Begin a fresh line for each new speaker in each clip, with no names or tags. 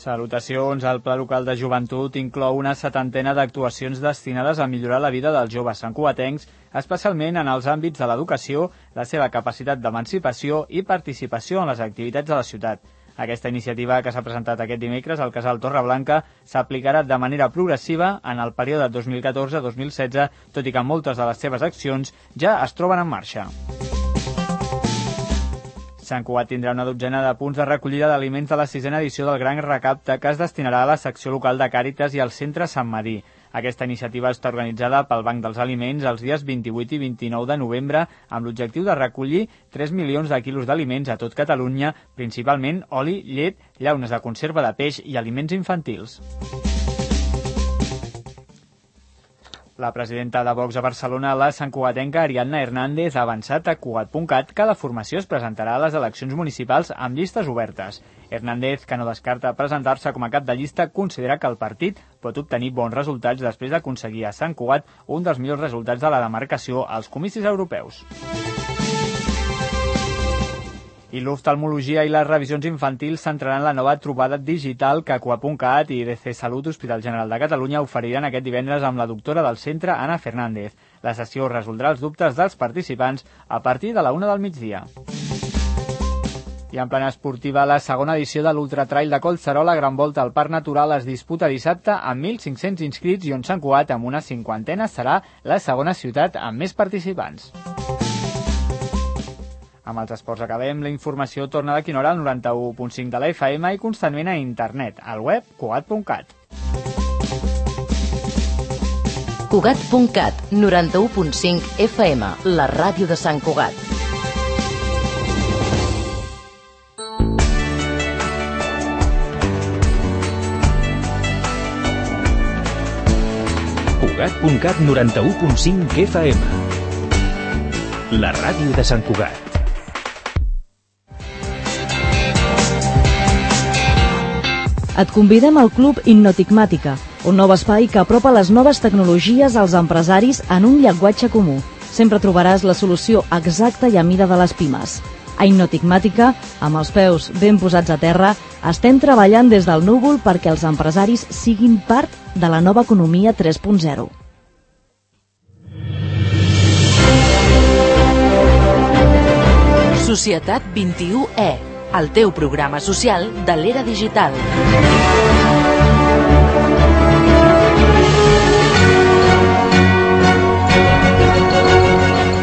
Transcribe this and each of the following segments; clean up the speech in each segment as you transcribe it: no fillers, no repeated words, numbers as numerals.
Salutacions. El Pla Local de Joventut inclou una 70ena d'actuacions destinades a millorar la vida dels joves santcugatencs, especialment en els àmbits de l'educació, la seva capacitat d'emancipació i participació en les activitats de la ciutat. Aquesta iniciativa, que s'ha presentat aquest dimecres al Casal Torreblanca, s'aplicarà de manera progressiva en el període 2014-2016, tot i que moltes de les seves accions ja es troben en marxa. Sant Cugat tindrà una dotzena de punts de recollida d'aliments de la 6a edició del Gran Recapte, que es destinarà a la secció local de Càritas i al centre Sant Madí. Aquesta iniciativa està organitzada pel Banc dels Aliments els dies 28 i 29 de novembre amb l'objectiu de recollir 3 milions de quilos d'aliments a tot Catalunya, principalment oli, llet, llaunes de conserva de peix i aliments infantils. La presidenta de Vox a Barcelona, la santcugatenca Ariadna Hernández, ha avançat a Cugat.cat que la formació es presentarà a les eleccions municipals amb llistes obertes. Hernández, que no descarta presentar-se com a cap de llista, considera que el partit pot obtenir bons resultats després d'aconseguir a Sant Cugat un dels millors resultats de la demarcació als comicis europeus. I l'oftalmologia i les revisions infantils centraran la nova trobada digital que Cugat.cat i IDC Salut Hospital General de Catalunya oferiran aquest divendres amb la doctora del centre, Ana Fernández. La sessió resoldrà els dubtes dels participants a partir de la 1 del migdia. I en plana esportiva, la segona edició de l'Ultratrail de Collserola Gran Volta al Parc Natural es disputa dissabte amb 1.500 inscrits i on Sant Cugat, amb una 50ena, serà la segona ciutat amb més participants. Amb els esports acabem. La informació torna d'aquí una hora al 91.5 de la FM i constantment a internet, al web Cugat.cat.
Cugat.cat, 91.5 FM, la ràdio de Sant Cugat.
Cugat.cat, 91.5 FM, la ràdio de Sant Cugat.
Et convidem al Club Innotigmàtica, un nou espai que apropa les noves tecnologies als empresaris en un llenguatge comú. Sempre trobaràs la solució exacta i a mida de les pimes. A Innotigmàtica, amb els peus ben posats a terra, estem treballant des del núvol perquè els empresaris siguin part de la nova economia 3.0.
Societat 21E, el teu programa social de l'era digital.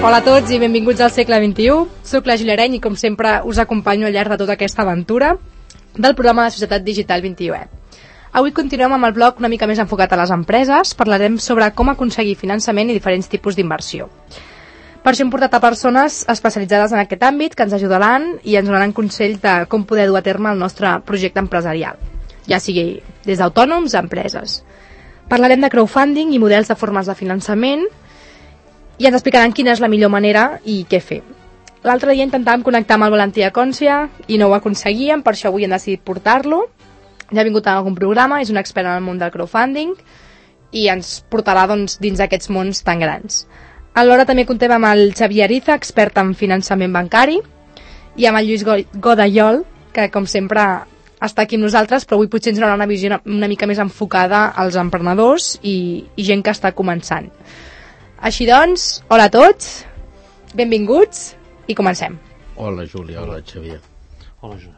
Hola a tots i benvinguts al segle XXI. Soc la Gil Areny i com sempre us acompanyo al llarg de tota aquesta aventura del programa de Societat Digital 21E. Avui continuem amb el bloc una mica més enfocat a les empreses. Parlarem sobre com aconseguir finançament i diferents tipus d'inversió. Per això hem portat a persones especialitzades en aquest àmbit que ens ajudaran i ens donaran consells de com poder dur a terme el nostre projecte empresarial, ja sigui des d'autònoms a empreses. Parlarem de crowdfunding i models de formes de finançament i ens explicaran quina és la millor manera i què fer. L'altre dia intentàvem connectar amb el Valentí Acòncia i no ho aconseguíem, per això avui hem decidit portar-lo. Ja ha vingut a algun programa, és un expert en el món del crowdfunding i ens portarà dins d'aquests mons tan grans. Alhora també contem amb el Xavier Ariza, expert en finançament bancari, i amb el Lluís Godallol, que com sempre està aquí amb nosaltres, però avui potser ens donarà una visió una mica més enfocada als emprenedors i gent que està començant. Així doncs, hola a tots, benvinguts i comencem.
Hola Júlia, hola Xavier.
Hola Júlia.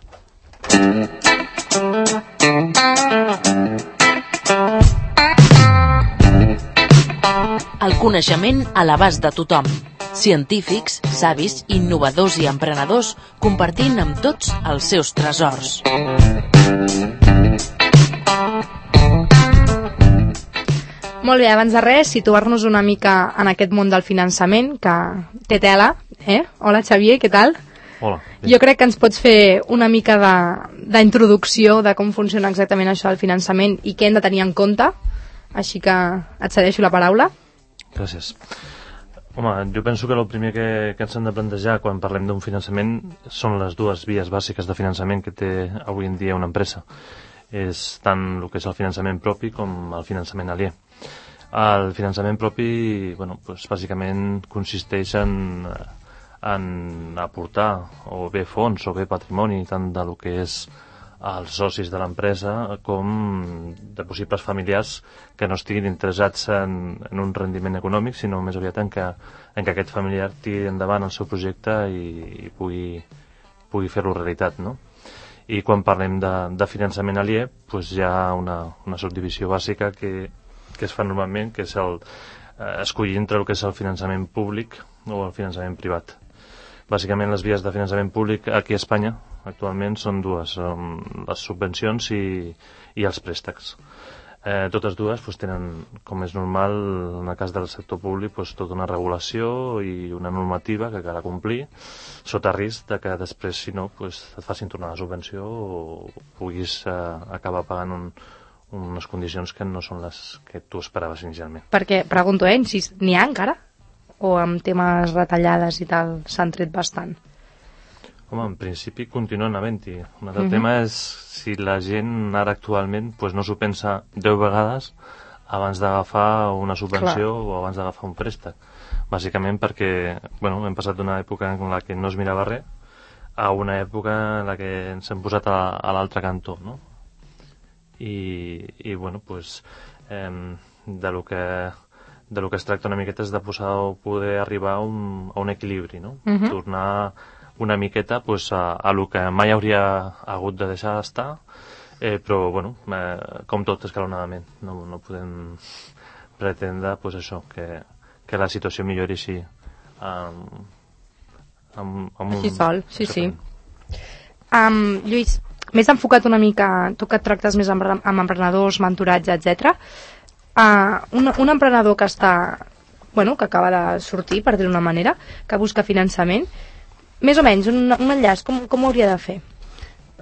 El coneixement a l'abast de tothom. Científics, savis, innovadors i emprenedors compartint amb tots els seus tresors.
Molt bé, abans de res, situar-nos una mica en aquest món del finançament, que té tela. Hola Xavier, què tal?
Hola.
Jo crec que ens pots fer una mica d'introducció de com funciona exactament això del finançament i què hem de tenir en compte. Així que et cedeixo la paraula.
Gràcies. Home, jo penso que el primer que ens hem de plantejar quan parlem d'un finançament són les dues vies bàsiques de finançament que té avui en dia una empresa. És tant el que és el finançament propi com el finançament aliè. El finançament propi, bàsicament consisteix en aportar o bé fons o bé patrimoni tant del que és als socis de l'empresa com de possibles familiars que no estiguin interessats en un rendiment econòmic, sinó més aviat en que aquest familiar tiri endavant el seu projecte i pugui fer-lo realitat, no? I quan parlem de finançament aliè, doncs hi ha una subdivisió bàsica que es fa normalment, que és escollir entre el que és el finançament públic o el finançament privat. Bàsicament les vies de finançament públic aquí a Espanya actualment són dues, les subvencions i els préstecs. Totes dues tenen, com és normal en el cas del sector públic, tota una regulació i una normativa que cal complir, sota risc de que després, si no, et facin tornar la subvenció o puguis acabar pagant unes condicions que no són les que tu esperaves inicialment.
Perquè, pregunto, n'hi ha encara? O amb temes retallades i tal s'han tret bastant?
Home, en principi continuen havent-hi. Un altre tema és si la gent ara actualment no s'ho pensa 10 vegades abans d'agafar una subvenció o abans d'agafar un préstec. Bàsicament perquè hem passat d'una època en la que no es mirava res a una època en la que ens hem posat a l'altre cantó, no? I de lo que es tracta una miqueta és de poder arribar a un equilibri, no? Tornar una miqueta a lo que mai hauria hagut de deixar d'estar, però com tot escalonadament. No podem pretendre això, que la situació millori així
així sol, sí. Lluís, més enfocat una mica, tu que et tractes més amb emprenedors, mentoratge, etc. Un emprenedor que que acaba de sortir, per dir-ho d'una manera, que busca finançament, més o menys, un enllaç, com ho hauria de fer?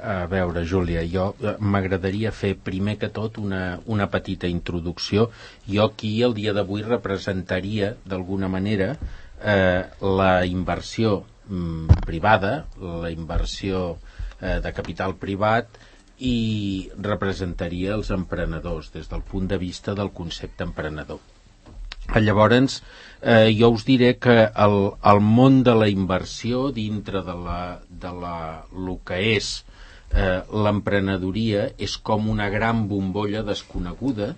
A veure, Júlia, jo m'agradaria fer primer que tot una petita introducció. Jo aquí el dia d'avui representaria d'alguna manera la inversió privada, la inversió de capital privat, i representaria els emprenedors des del punt de vista del concepte emprenedor. Llavors, jo us diré que el món de la inversió dintre de lo que és l'emprenedoria és com una gran bombolla desconeguda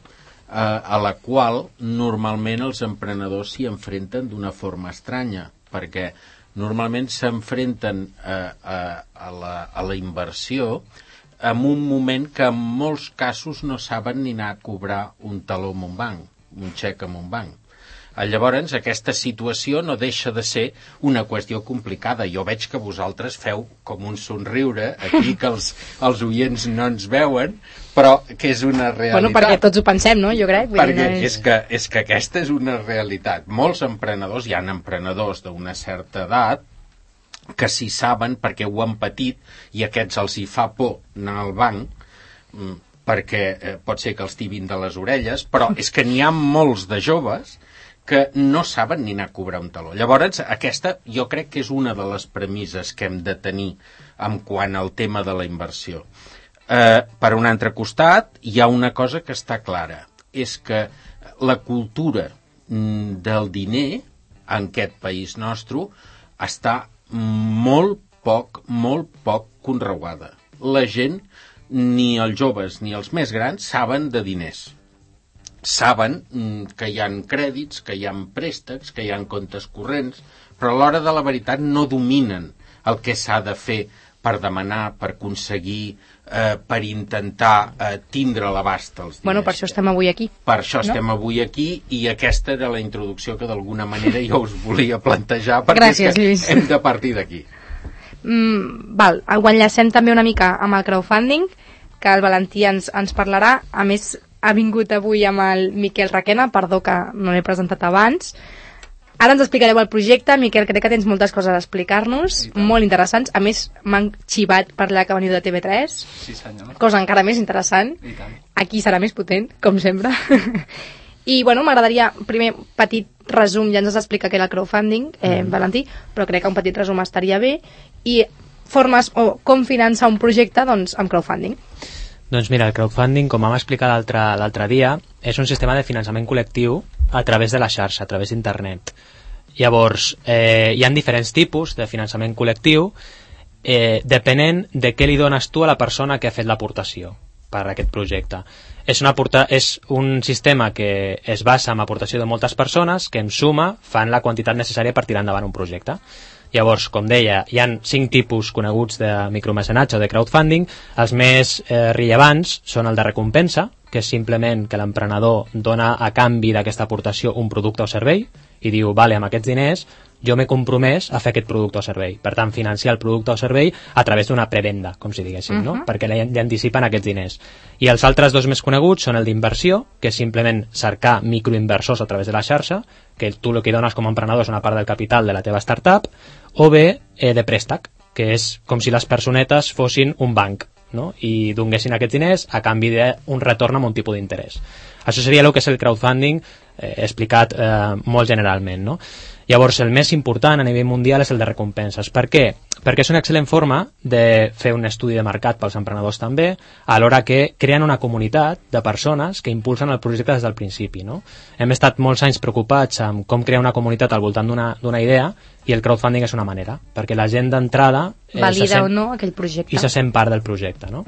a la qual normalment els emprenedors s'hi enfrenten d'una forma estranya, perquè normalment s'enfrenten a la inversió en un moment que en molts casos no saben ni anar a cobrar un taló en un banc, un xec en un banc. Llavors, aquesta situació no deixa de ser una qüestió complicada. Jo veig que vosaltres feu com un somriure aquí, que els oients no ens veuen, però que és una realitat.
Perquè tots ho pensem, no? Jo crec.
Perquè és que aquesta és una realitat. Molts emprenedors, hi ha emprenedors d'una certa edat, que s'hi saben perquè ho han patit i aquests els hi fa por anar al banc, perquè pot ser que els tibin de les orelles, però és que n'hi ha molts de joves que no saben ni anar a cobrar un taló. Llavors, aquesta jo crec que és una de les premisses que hem de tenir en quant al tema de la inversió. Per un altre costat, hi ha una cosa que està clara, és que la cultura del diner en aquest país nostre està molt poc conreuada. La gent, ni els joves ni els més grans, saben de diners. Saben que hi ha crèdits, que hi ha préstecs, que hi ha comptes corrents, però a l'hora de la veritat no dominen el que s'ha de fer per demanar, per aconseguir, per intentar tindre a l'abast els diners.
Per això estem avui aquí.
Per això estem avui aquí, i aquesta era la introducció que d'alguna manera jo us volia plantejar, perquè
gràcies, Lluís.
Hem de partir d'aquí.
Ho enllacem també una mica amb el crowdfunding, que el Valentí ens parlarà. A més, ha vingut avui amb el Miquel Requena, perdó que no l'he presentat abans. Ara ens explicareu el projecte. Miquel, crec que tens moltes coses a explicar-nos, molt interessants. A més, m'han xivat per allà que veniu de TV3.
Sí, senyor.
Cosa encara més interessant.
I tant.
Aquí serà més potent, com sempre. I, m'agradaria, primer, petit resum, ja ens has explicat què era el crowdfunding, Valentí, però crec que un petit resum estaria bé. I formes o com finançar un projecte, doncs, amb crowdfunding.
Doncs mira, el crowdfunding, com vam explicar l'altre dia, és un sistema de finançament col·lectiu a través de la xarxa, a través d'internet. Llavors, hi ha diferents tipus de finançament col·lectiu depenent de què li dones tu a la persona que ha fet l'aportació per a aquest projecte. És un sistema que es basa en aportació de moltes persones que en suma fan la quantitat necessària per tirar endavant un projecte. Llavors, com deia, hi ha 5 tipus coneguts de micromecenatge o de crowdfunding. Els més rellevants són el de recompensa, que és simplement que l'emprenedor dona a canvi d'aquesta aportació un producte o servei i diu, vale, amb aquests diners jo m'he compromès a fer aquest producte o servei. Per tant, financiar el producte o servei a través d'una prevenda, com si diguéssim, no? Perquè li anticipen aquests diners. I els altres 2 més coneguts són el d'inversió, que és simplement cercar microinversors a través de la xarxa, que tu el que dones com a emprenedor és una part del capital de la teva startup, o bé de préstec, que és com si les personetes fossin un banc, no? I donguessin aquests diners a canvi d'un retorn amb un tipus d'interès. Això seria el que és el crowdfunding explicat molt generalment, no? Llavors, el més important a nivell mundial és el de recompenses. Per què? Perquè és una excel·lent forma de fer un estudi de mercat pels emprenedors també, alhora que creen una comunitat de persones que impulsen el projecte des del principi, no? Hem estat molts anys preocupats amb com crear una comunitat al voltant d'una idea, i el crowdfunding és una manera, perquè la gent d'entrada
valida o no aquell projecte
i se sent part del projecte, no?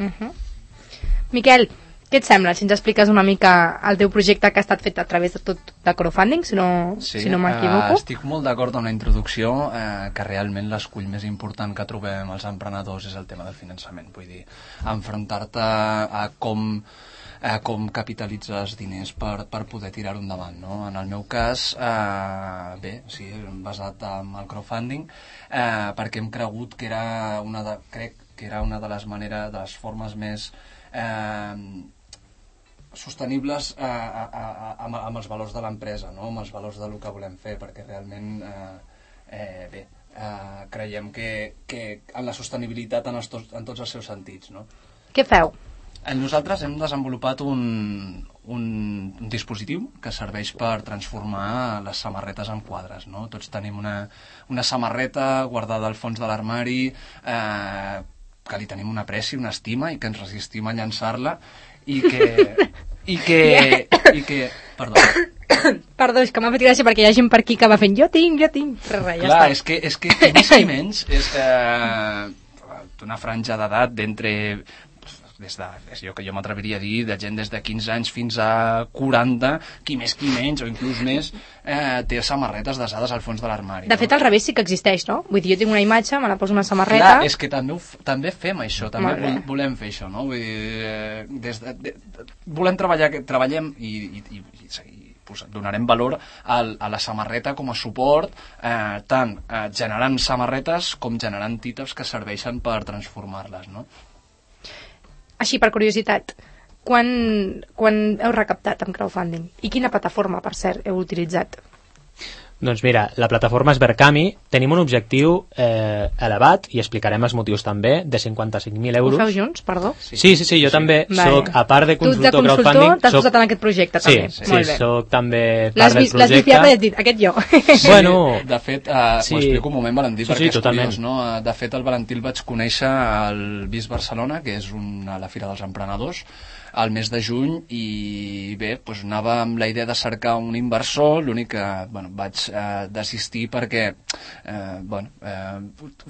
Miquel, què et sembla si ens expliques una mica el teu projecte que ha estat fet a través de tot de crowdfunding, si no m'equivoco?
Estic molt d'acord amb la introducció, que realment l'escull més important que trobem els emprenedors és el tema del finançament. Vull dir, enfrontar-te a com capitalitzes diners per poder tirar-ho endavant, no? En el meu cas, sí, basat en el crowdfunding, perquè hem cregut que era una de les maneres, de les formes més sostenibles amb els valors de l'empresa, no? Amb els valors del que volem fer, perquè realment creiem que en la sostenibilitat en tots els seus sentits, no?
Què feu?
Nosaltres hem desenvolupat un dispositiu que serveix per transformar les samarretes en quadres, no? Tots tenim una samarreta guardada al fons de l'armari, que li tenim una apreci, una estima, i que ens resistim a llançar-la, i que
Perdó, és que m'ha fet gràcia perquè hi ha gent per aquí que va fent jo tinc, però res, ja
clar,
està.
és que més i menys és una franja d'edat d'entre jo m'atreviria a dir de gent des de 15 anys fins a 40, qui més qui menys o inclús més, té samarretes desades al fons de l'armari.
De fet, al revés sí que existeix, no? Vull dir, jo tinc una imatge, me la poso una samarreta...
Clar, és que també fem això, també volem fer això, no? Vull dir, treballem i donarem valor a la samarreta com a suport, tant generant samarretes com generant títols que serveixen per transformar-les, no?
Així, per curiositat, quan heu recaptat amb crowdfunding? I quina plataforma, per cert, heu utilitzat?
Doncs mira, la plataforma és Verkami. Tenim un objectiu elevat, i explicarem els motius també, de 55.000 euros.
Ho feu junts, perdó?
Sí, jo també soc, a part de consultor crowdfunding...
Tu de consultor t'has posat en aquest projecte, també.
Sí, soc també part del projecte.
L'has viciat i has dit, aquest jo.
Bueno...
De fet, m'ho explico un moment, Valentí, perquè és curiós, no? De fet, el Valentí el vaig conèixer al BIS Barcelona, que és la Fira dels Emprenedors, al mes de juny, i bé, doncs anava amb la idea de cercar un inversor, l'únic que vaig desistir perquè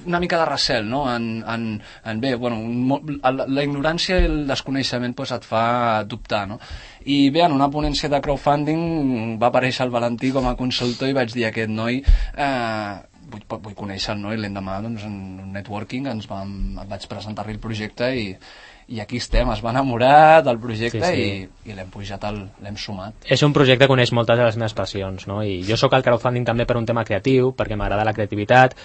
una mica de recel, no? La ignorància i el desconeixement et fa dubtar, no? I bé, en una ponència de crowdfunding va aparèixer el Valentí com a consultor i vaig dir a aquest noi vull conèixer el noi, l'endemà en un networking vaig presentar-li el projecte i aquí estem, es va enamorar del projecte i l'hem pujat, l'hem sumat.
És un projecte que uneix moltes de les meves passions, no? I jo sóc al crowdfunding també per un tema creatiu, perquè m'agrada la creativitat,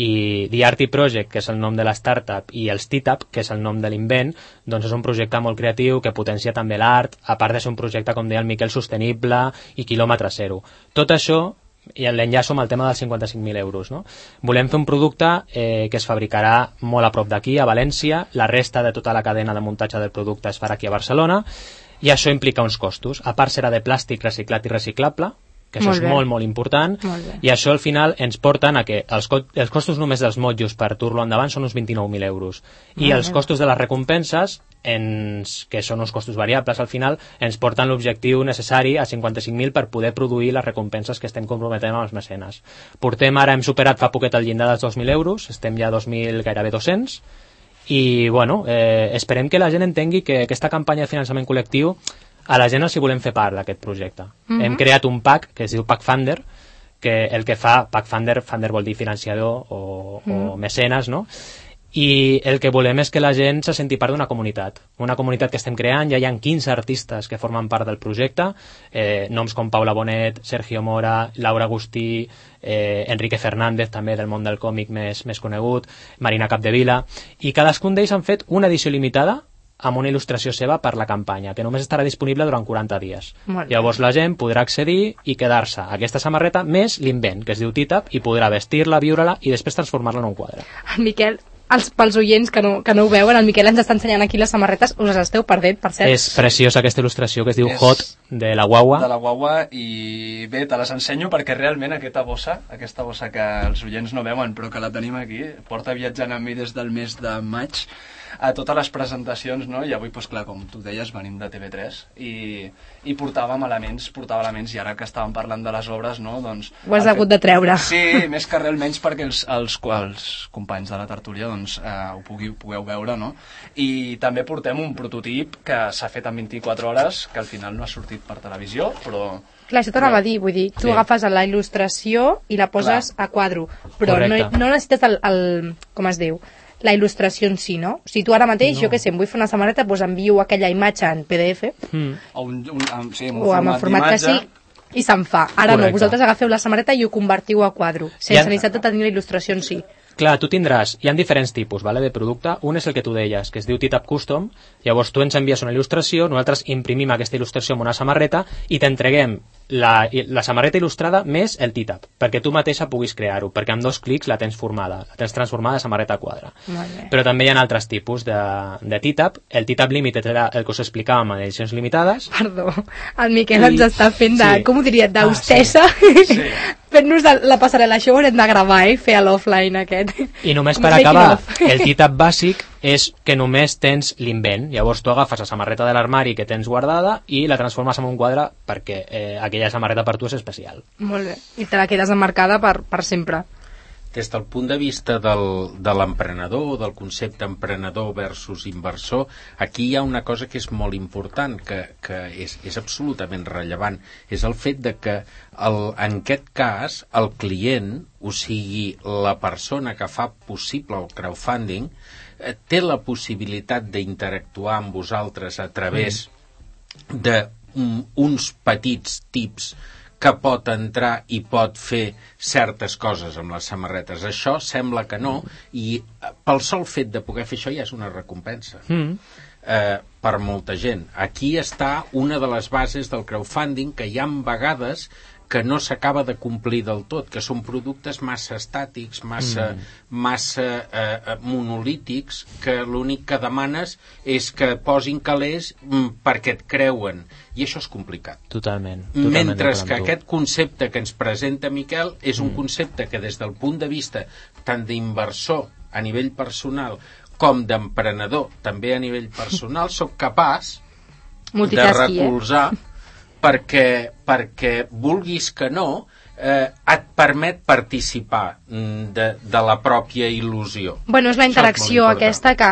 i The Arty Project, que és el nom de la startup, i el Steetup, que és el nom de l'invent, doncs és un projecte molt creatiu que potencia també l'art, a part de ser un projecte, com deia el Miquel, sostenible i quilòmetre zero. Tot això i l'enllaço amb el tema dels 55.000 euros, no? Volem fer un producte que es fabricarà molt a prop d'aquí, a València. La resta de tota la cadena de muntatge del producte es farà aquí a Barcelona, i això implica uns costos. A part serà de plàstic reciclat i reciclable, que això és molt important, i això al final ens porten a que els costos només dels motllos per dur-lo endavant són uns 29.000 euros, i els costos de les recompenses, que són uns costos variables al final, ens porten l'objectiu necessari a 55.000 per poder produir les recompenses que estem comprometent amb els mecenes. Ara hem superat fa poquet el llindar dels 2.000 euros, estem ja a 2.000, gairebé 200, i bueno, esperem que la gent entengui que aquesta campanya de finançament col·lectiu a la gent els hi volem fer part d'aquest projecte. Hem creat un PAC que es diu PAC Funder, que el que fa PAC Funder vol dir financiador o mecenes, no? I el que volem és que la gent se senti part d'una comunitat que estem creant. Ja hi ha 15 artistes que formen part del projecte, noms com Paula Bonet, Sergio Mora, Laura Agustí, Enrique Fernández, també del món del còmic més conegut, Marina Capdevila, i cadascun d'ells han fet una edició limitada amb una il·lustració seva per la campanya, que només estarà disponible durant 40 dies. Llavors la gent podrà accedir i quedar-se a aquesta samarreta més l'invent, que es diu Titap, i podrà vestir-la, viure-la i després transformar-la en un quadre.
Miquel, pels oients que no ho veuen, el Miquel ens està ensenyant aquí les samarretes, us les esteu perdent, per cert.
És preciosa aquesta il·lustració que es diu Hot, de la Guagua.
De la Guagua, i bé, te les ensenyo perquè realment aquesta bossa que els oients no veuen però que la tenim aquí, porta viatjant amb mi des del mes de maig a totes les presentacions, no? I avui, doncs clar, com tu deies, venim de TV3 i portava elements, i ara que estàvem parlant de les obres, no? Doncs
ho has hagut de treure.
Sí, més que res menys perquè els companys de la tertúlia doncs, ho pugueu veure, no? I també portem un prototip que s'ha fet en 24 hores, que al final no ha sortit per televisió, però...
Clar, això t'anava a dir, vull dir, tu agafes la il·lustració i la poses a quadro, però no necessites com es diu, la il·lustració en si, no? Si tu ara mateix, jo què sé, em vull fer una samarreta, doncs envio aquella imatge en PDF
o
amb el format que sí, i se'n fa. Ara no, vosaltres agafeu la samarreta i ho convertiu a quadro, sense necessitat de tenir la il·lustració en si.
Clar, tu tindràs, hi ha diferents tipus de producte. Un és el que tu deies, que es diu Titap Custom. Llavors tu ens envies una il·lustració, nosaltres imprimim aquesta il·lustració en una samarreta i t'entreguem la samarreta il·lustrada més el Titap, perquè tu mateixa puguis crear-ho, perquè amb 2 clics la tens formada, la tens transformada a samarreta a quadre. Però també hi ha altres tipus de Titap. El Titap Limited era el que us explicàvem en edicions limitades.
Perdó, el Miquel ens està fent com ho diria, d'hostessa, fent-nos la passarel·la. Això ho haurem de gravar, fer a l'offline aquest.
I només per acabar, el Titap bàsic és que només tens l'invent. Llavors tu agafes la samarreta de l'armari que tens guardada i la transformes en un quadre perquè aquella samarreta per tu és especial.
Molt bé, i te la quedes emmarcada per sempre.
Des del punt de vista de l'emprenedor, del concepte emprenedor versus inversor, aquí hi ha una cosa que és molt important, que és absolutament rellevant. És el fet de que, en aquest cas, el client, o sigui, la persona que fa possible el crowdfunding, té la possibilitat d'interactuar amb vosaltres a través d'uns petits tips que pot entrar i pot fer certes coses amb les samarretes. Això sembla que no, i pel sol fet de poder fer això ja és una recompensa per molta gent. Aquí està una de les bases del crowdfunding, que hi ha vegades que no s'acaba de complir del tot, que són productes massa estàtics, massa monolítics, que l'únic que demanes és que posin calés perquè et creuen, i això és complicat.
Totalment.
Mentre que aquest concepte que ens presenta Miquel és un concepte que des del punt de vista tant d'inversor a nivell personal com d'emprenedor també a nivell personal soc capaç de recolzar, perquè vulguis que no, et permet participar de la pròpia il·lusió.
Bueno, és la interacció aquesta que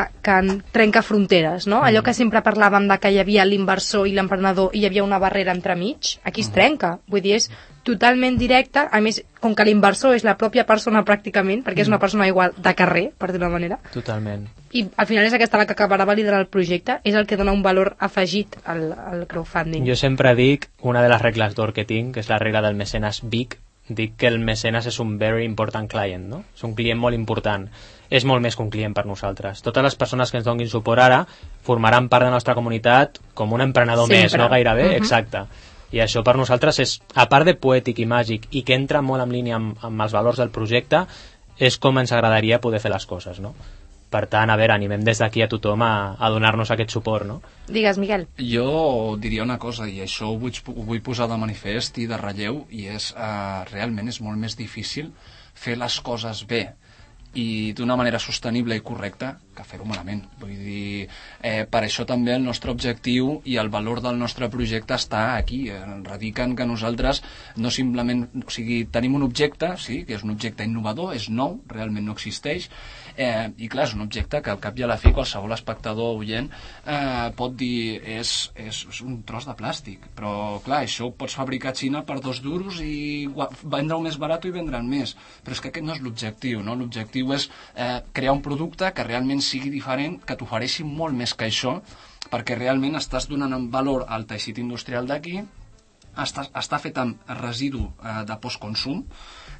trenca fronteres, no? Allò que sempre parlàvem de que hi havia l'inversor i l'emprenedor i hi havia una barrera entremig, aquí es trenca. Vull dir, és totalment directe, a més, com que l'inversor és la pròpia persona pràcticament, perquè és una persona igual de carrer, per dir-ho d'una manera.
Totalment.
I al final és aquesta la que acabarà validant el projecte, és el que dona un valor afegit al crowdfunding.
Jo sempre dic, una de les regles d'or que tinc, que és la regla del mecenes big, dic que el mecenes és un very important client, no? És un client molt important. És molt més que un client per nosaltres. Totes les persones que ens donin suport ara formaran part de la nostra comunitat com un emprenedor més, no gairebé? Exacte. I això per nosaltres és, a part de poètic i màgic, i que entra molt en línia amb els valors del projecte, és com ens agradaria poder fer les coses, no? Per tant, a veure, animem des d'aquí a tothom a donar-nos aquest suport, no?
Digues, Miquel.
Jo diria una cosa, i això ho vull posar de manifest i de relleu, i és realment és molt més difícil fer les coses bé i d'una manera sostenible i correcta que fer-ho malament. Vull dir, per això també el nostre objectiu i el valor del nostre projecte està aquí, radica en que nosaltres no simplement, o sigui, tenim un objecte, sí, que és un objecte innovador, és nou, realment no existeix, i clar, és un objecte que al cap i a la fi qualsevol espectador oient pot dir és un tros de plàstic, però clar, això ho pots fabricar a Xina per 2 duros i vendre-ho més barat i vendre'n més, però és que aquest no és l'objectiu, no? L'objectiu és crear un producte que realment sigui diferent, que t'ofereixi molt més que això, perquè realment estàs donant en valor al teixit industrial d'aquí, està fet amb residu de postconsum,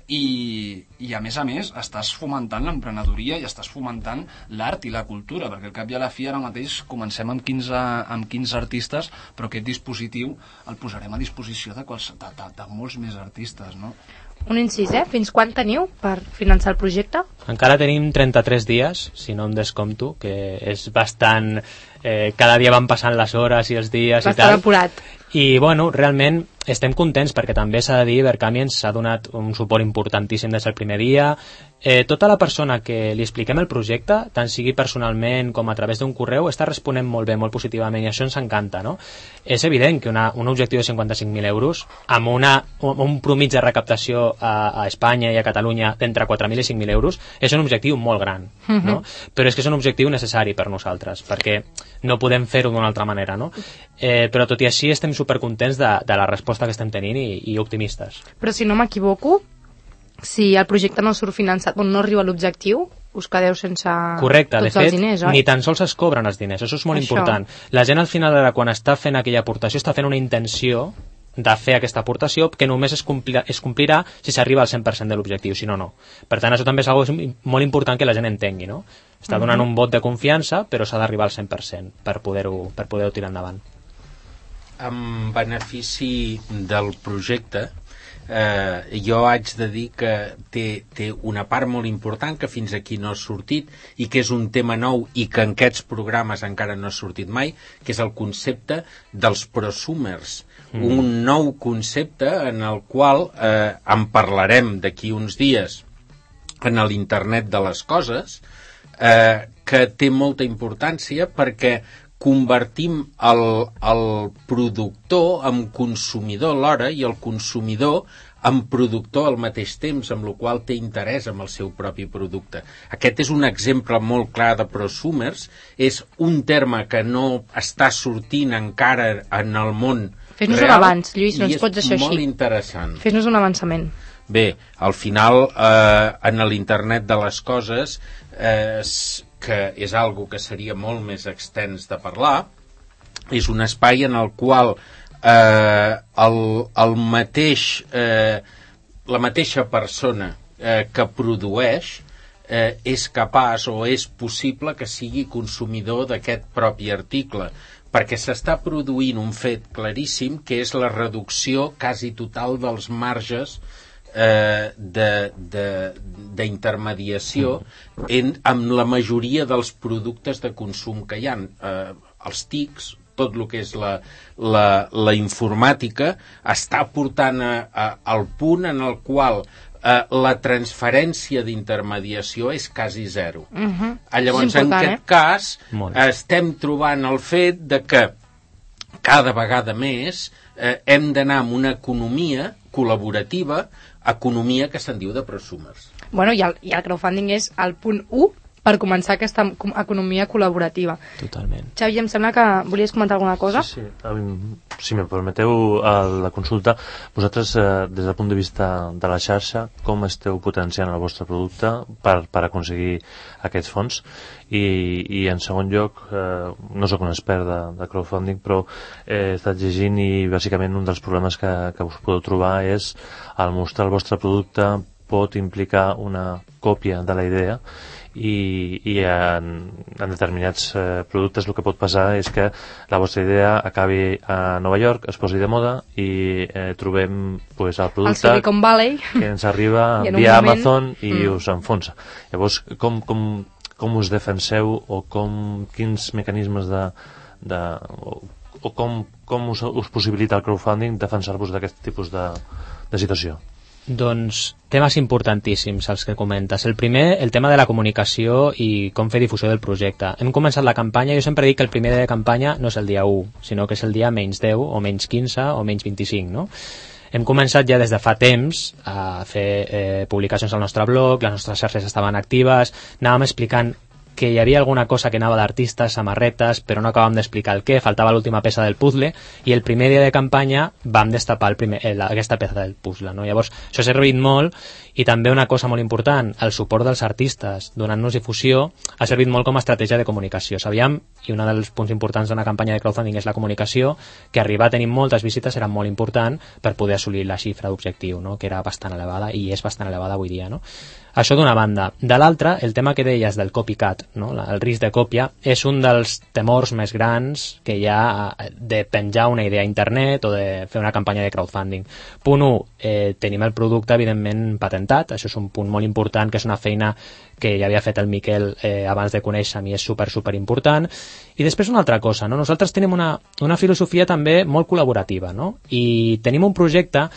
i a més estàs fomentant l'emprenedoria i estàs fomentant l'art i la cultura, perquè al cap i a la fi ara mateix comencem amb 15 artistes, però aquest dispositiu el posarem a disposició de molts més artistes, no?
Un incís, Fins quan teniu per finançar el projecte?
Encara tenim 33 dies, si no em descompto, que és bastant... cada dia van passant les hores i els dies i tal.
Bastant apurat.
I, bueno, realment estem contents perquè també s'ha de dir, Ibercami ens ha donat un suport importantíssim des del primer dia. Tota la persona que li expliquem el projecte, tant sigui personalment com a través d'un correu, està responent molt bé, molt positivament, i això ens encanta, no? És evident que un objectiu de 55.000 euros, amb un promig de recaptació a Espanya i a Catalunya d'entre 4.000 i 5.000 euros, és un objectiu molt gran, no? Però és que és un objectiu necessari per nosaltres, perquè no podem fer-ho d'una altra manera, no? Però tot i així estem supercontents de la resposta que estem tenint i optimistes.
Però si no m'equivoco, si el projecte no surt finançat, no arriba a l'objectiu, us quedeu sense
correcte,
tots els diners, oi?
Ni tan sols es cobren els diners, això és molt important. La gent al final, quan està fent aquella aportació, està fent una intenció de fer aquesta aportació que només es complirà si s'arriba al 100% de l'objectiu, si no, no. Per tant, això també és molt important que la gent entengui, no? Està donant un vot de confiança, però s'ha d'arribar al 100% per poder-ho tirar endavant.
En benefici del projecte, jo haig de dir que té una part molt important que fins aquí no ha sortit i que és un tema nou i que en aquests programes encara no ha sortit mai, que és el concepte dels prosumers. Un nou concepte en el qual en parlarem d'aquí uns dies en l'Internet de les coses, que té molta importància perquè convertim el productor en consumidor alhora i el consumidor en productor al mateix temps, amb la qual té interès en el seu propi producte. Aquest és un exemple molt clar de prosumers, és un terme que no està sortint encara en el món real.
Fes-nos un avanç, Lluís, no ens pots deixar així.
I és molt interessant.
Fes-nos un avançament.
Bé, al final, en l'Internet de les coses, que és algo que seria molt més extens de parlar, és un espai en el qual la mateixa persona que produeix és capaç o és possible que sigui consumidor d'aquest propi article, perquè s'està produint un fet claríssim que és la reducció quasi total dels marges d'intermediació amb la majoria dels productes de consum que hi ha. Els TICs, tot el que és la informàtica, està portant al punt en el qual la transferència d'intermediació és quasi zero. Llavors, en aquest cas, estem trobant el fet de que cada vegada més hem d'anar amb una economia col·laborativa, economia que se'n diu de prosumers.
Bueno, i el crowdfunding és el punt 1 per començar aquesta economia col·laborativa.
Totalment.
Xavi, em sembla que volies comentar alguna cosa?
Sí. Si me permeteu la consulta, vosaltres, des del punt de vista de la xarxa, com esteu potenciant el vostre producte per aconseguir aquests fons? I en segon lloc, no sóc un expert de crowdfunding, però he estat llegint i bàsicament un dels problemes que us podeu trobar és al mostrar el vostre producte pot implicar una còpia de la idea i en determinats productes el que pot passar és que la vostra idea acabi a Nova York, es posi de moda i trobem el producte
Silicon Valley
que ens arriba via Amazon i us enfonsa. Llavors, com com us defenseu o quins mecanismes o com us possibilita el crowdfunding defensar-vos d'aquest tipus de situació?
Doncs temes importantíssims els que comentes. El primer, el tema de la comunicació i com fer difusió del projecte. Hem començat la campanya, jo sempre dic que el primer dia de campanya no és el dia 1, sinó que és el dia menys 10 o menys 15 o menys 25, no? Hem començat ja des de fa temps a fer publicacions al nostre blog, les nostres xarxes estaven actives, anàvem explicant que hi havia alguna cosa que anava d'artistes, samarretes, però no acabàvem d'explicar el què, faltava l'última peça del puzzle, i el primer dia de campanya vam destapar aquesta peça del puzzle, no? Llavors, això s'ha servit molt, i també una cosa molt important, el suport dels artistes, donant-nos difusió, ha servit molt com a estratègia de comunicació. Sabíem, i un dels punts importants d'una campanya de crowdfunding és la comunicació, que arribar a tenir moltes visites era molt important per poder assolir la xifra d'objectiu, no? Que era bastant elevada, i és bastant elevada avui dia, no? Això d'una banda. De l'altra, el tema que deies del copycat, no? El risc de còpia, és un dels temors més grans que hi ha de penjar una idea a internet o de fer una campanya de crowdfunding. Punt 1, tenim el producte evidentment patentat, això és un punt molt important, que és una feina que ja havia fet el Miquel abans de conèixer-me i és super important. I després una altra cosa, no? Nosaltres tenim una filosofia també molt col·laborativa, no? I tenim un projecte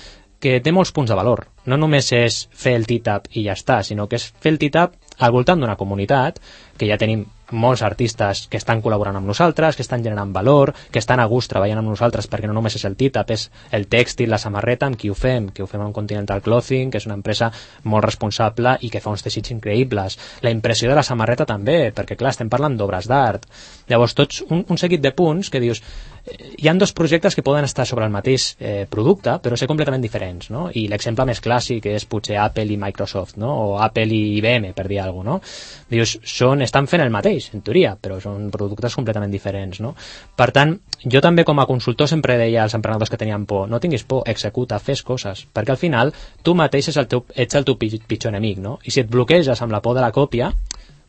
que té molts punts de valor. No només és fer el TITAP i ja està, sinó que és fer el TITAP al voltant d'una comunitat, que ja tenim molts artistes que estan col·laborant amb nosaltres, que estan generant valor, que estan a gust treballant amb nosaltres, perquè no només és el TITAP, és el tèxtil, la samarreta, amb qui ho fem amb Continental Clothing, que és una empresa molt responsable i que fa uns teixits increïbles. La impressió de la samarreta també, perquè clar, estem parlant d'obres d'art. Llavors, tots un seguit de punts que dius, hi ha dos projectes que poden estar sobre el mateix producte, però ser completament diferents, no? I l'exemple més clàssic és potser Apple i Microsoft, no? O Apple i IBM, per dir alguna cosa, no? Dius, estan fent el mateix, en teoria, però són productes completament diferents, no? Per tant, jo també com a consultor sempre deia als emprenedors que tenien por, no tinguis por, executa, fes coses, perquè al final tu mateix ets el teu pitjor enemic, no? I si et bloqueges amb la por de la còpia,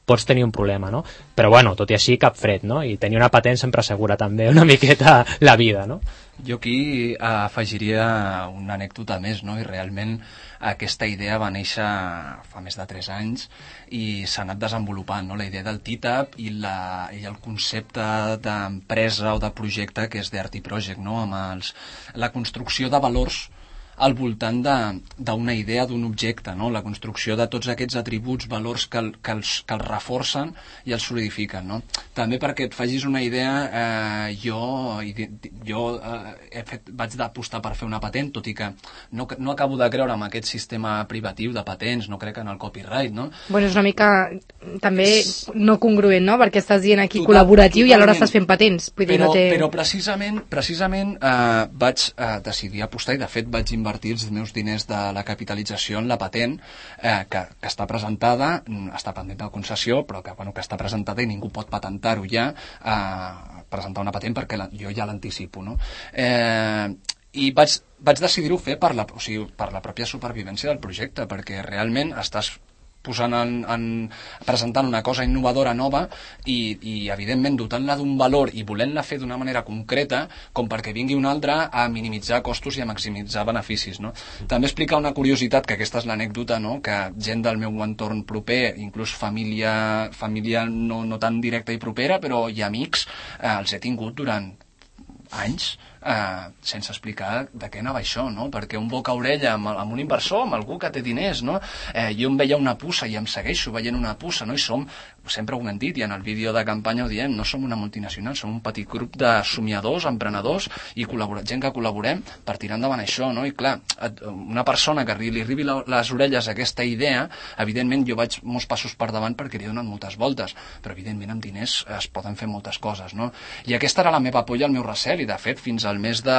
pots tenir un problema, no? Però bueno, tot i així cap fred, no? I tenir una patent sempre assegura també una miqueta la vida, no?
Jo aquí afegiria una anècdota més, no? I realment aquesta idea va néixer fa més de 3 anys i s'ha anat desenvolupant, no? La idea del TITAP i el concepte d'empresa o de projecte que és d'Art i Project, no? Amb la construcció de valors al voltant d'una idea, d'un objecte, no? La construcció de tots aquests atributs, valors que els reforcen i els solidifiquen, no? També perquè et facis una idea, jo vaig d'apostar per fer una patent, tot i que no acabo de creure en aquest sistema privatiu de patents, no crec en el copyright, no?
Bueno, és una mica també no congruent, no? Perquè estàs dient aquí col·laboratiu i alhora estàs fent patents.
Però precisament vaig decidir apostar i de fet vaig invertir els meus diners de la capitalització en la patent que està presentada, està pendent de concessió, però que està presentada i ningú pot patentar-ho ja, presentar una patent perquè jo ja l'anticipo, no? I vaig decidir-ho fer per la pròpia supervivència del projecte, perquè realment estàs presentant una cosa innovadora nova i evidentment dotant-la d'un valor i volent-la fer d'una manera concreta com perquè vingui un altre a minimitzar costos i a maximitzar beneficis, no? També explicar una curiositat, que aquesta és l'anècdota, no? Que gent del meu entorn proper, inclús família no tan directa i propera, però i amics, els he tingut durant anys sense explicar de què anava això, no? Perquè un boca a orella amb un inversor, amb algú que té diners, no? Jo em veia una puça i em segueixo veient una puça, no? I sempre ho hem dit, i en el vídeo de campanya ho diem, no som una multinacional, som un petit grup de somiadors, emprenedors i gent que col·laborem per tirar endavant això, no? I clar, una persona que li arribi les orelles a aquesta idea, evidentment jo vaig molts passos per davant perquè li donen moltes voltes, però evidentment amb diners es poden fer moltes coses, no? I aquesta era la meva por i el meu recel, i de fet fins al mes de,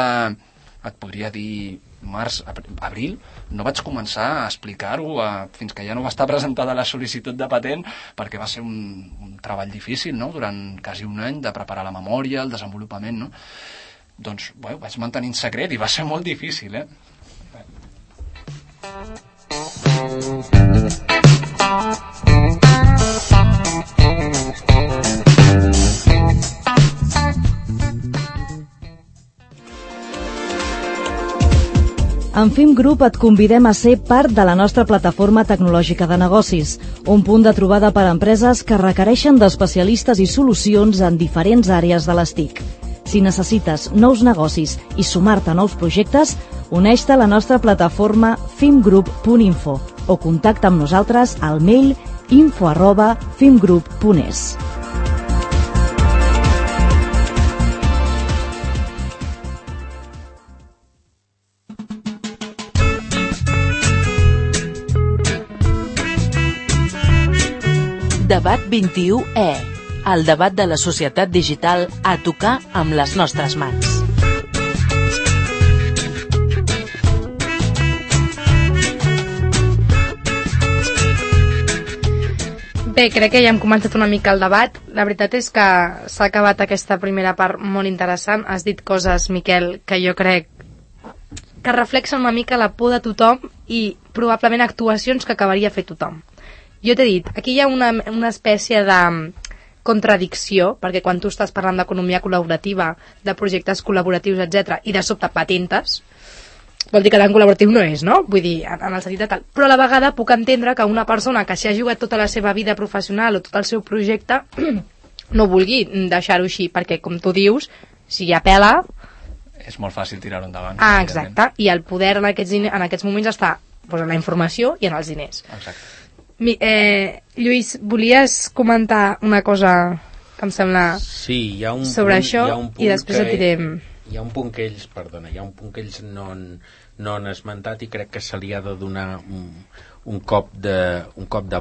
et podria dir, març, abril, no vaig començar a explicar-ho fins que ja no va estar presentada la sol·licitud de patent, perquè va ser un treball difícil, no? Durant quasi un any de preparar la memòria, el desenvolupament, no? Doncs, bueno, vaig mantenir en secret i va ser molt difícil,
En FIM Group et convidem a ser part de la nostra plataforma tecnològica de negocis, un punt de trobada per a empreses que requereixen d'especialistes i solucions en diferents àrees de les TIC. Si necessites nous negocis i sumar-te a nous projectes, uneix-te a la nostra plataforma fimgroup.info o contacta amb nosaltres al mail info@fimgroup.es.
Debat 21E, el debat de la societat digital a tocar amb les nostres mans.
Bé, crec que ja hem començat una mica el debat. La veritat és que s'ha acabat aquesta primera part molt interessant. Has dit coses, Miquel, que jo crec que reflexen una mica la por de tothom i probablement actuacions que acabaria fer tothom. Jo t'he dit, aquí hi ha una espècie de contradicció, perquè quan tu estàs parlant d'economia col·laborativa, de projectes col·laboratius, etc., i de sobte patentes, vol dir que tan col·laboratiu no és, no? Vull dir, en el sentit de tal. Però a la vegada puc entendre que una persona que s'hi ha jugat tota la seva vida professional o tot el seu projecte no vulgui deixar-ho així, perquè, com tu dius, si hi ha pela...
És molt fàcil tirar-ho endavant.
Ah, exacte. I el poder en aquests moments està en la informació i en els diners.
Exacte.
Lluís, volies comentar una cosa que em sembla sobre això i després et direm...
Hi ha un punt que ells, no han esmentat i crec que se li ha de donar un cop de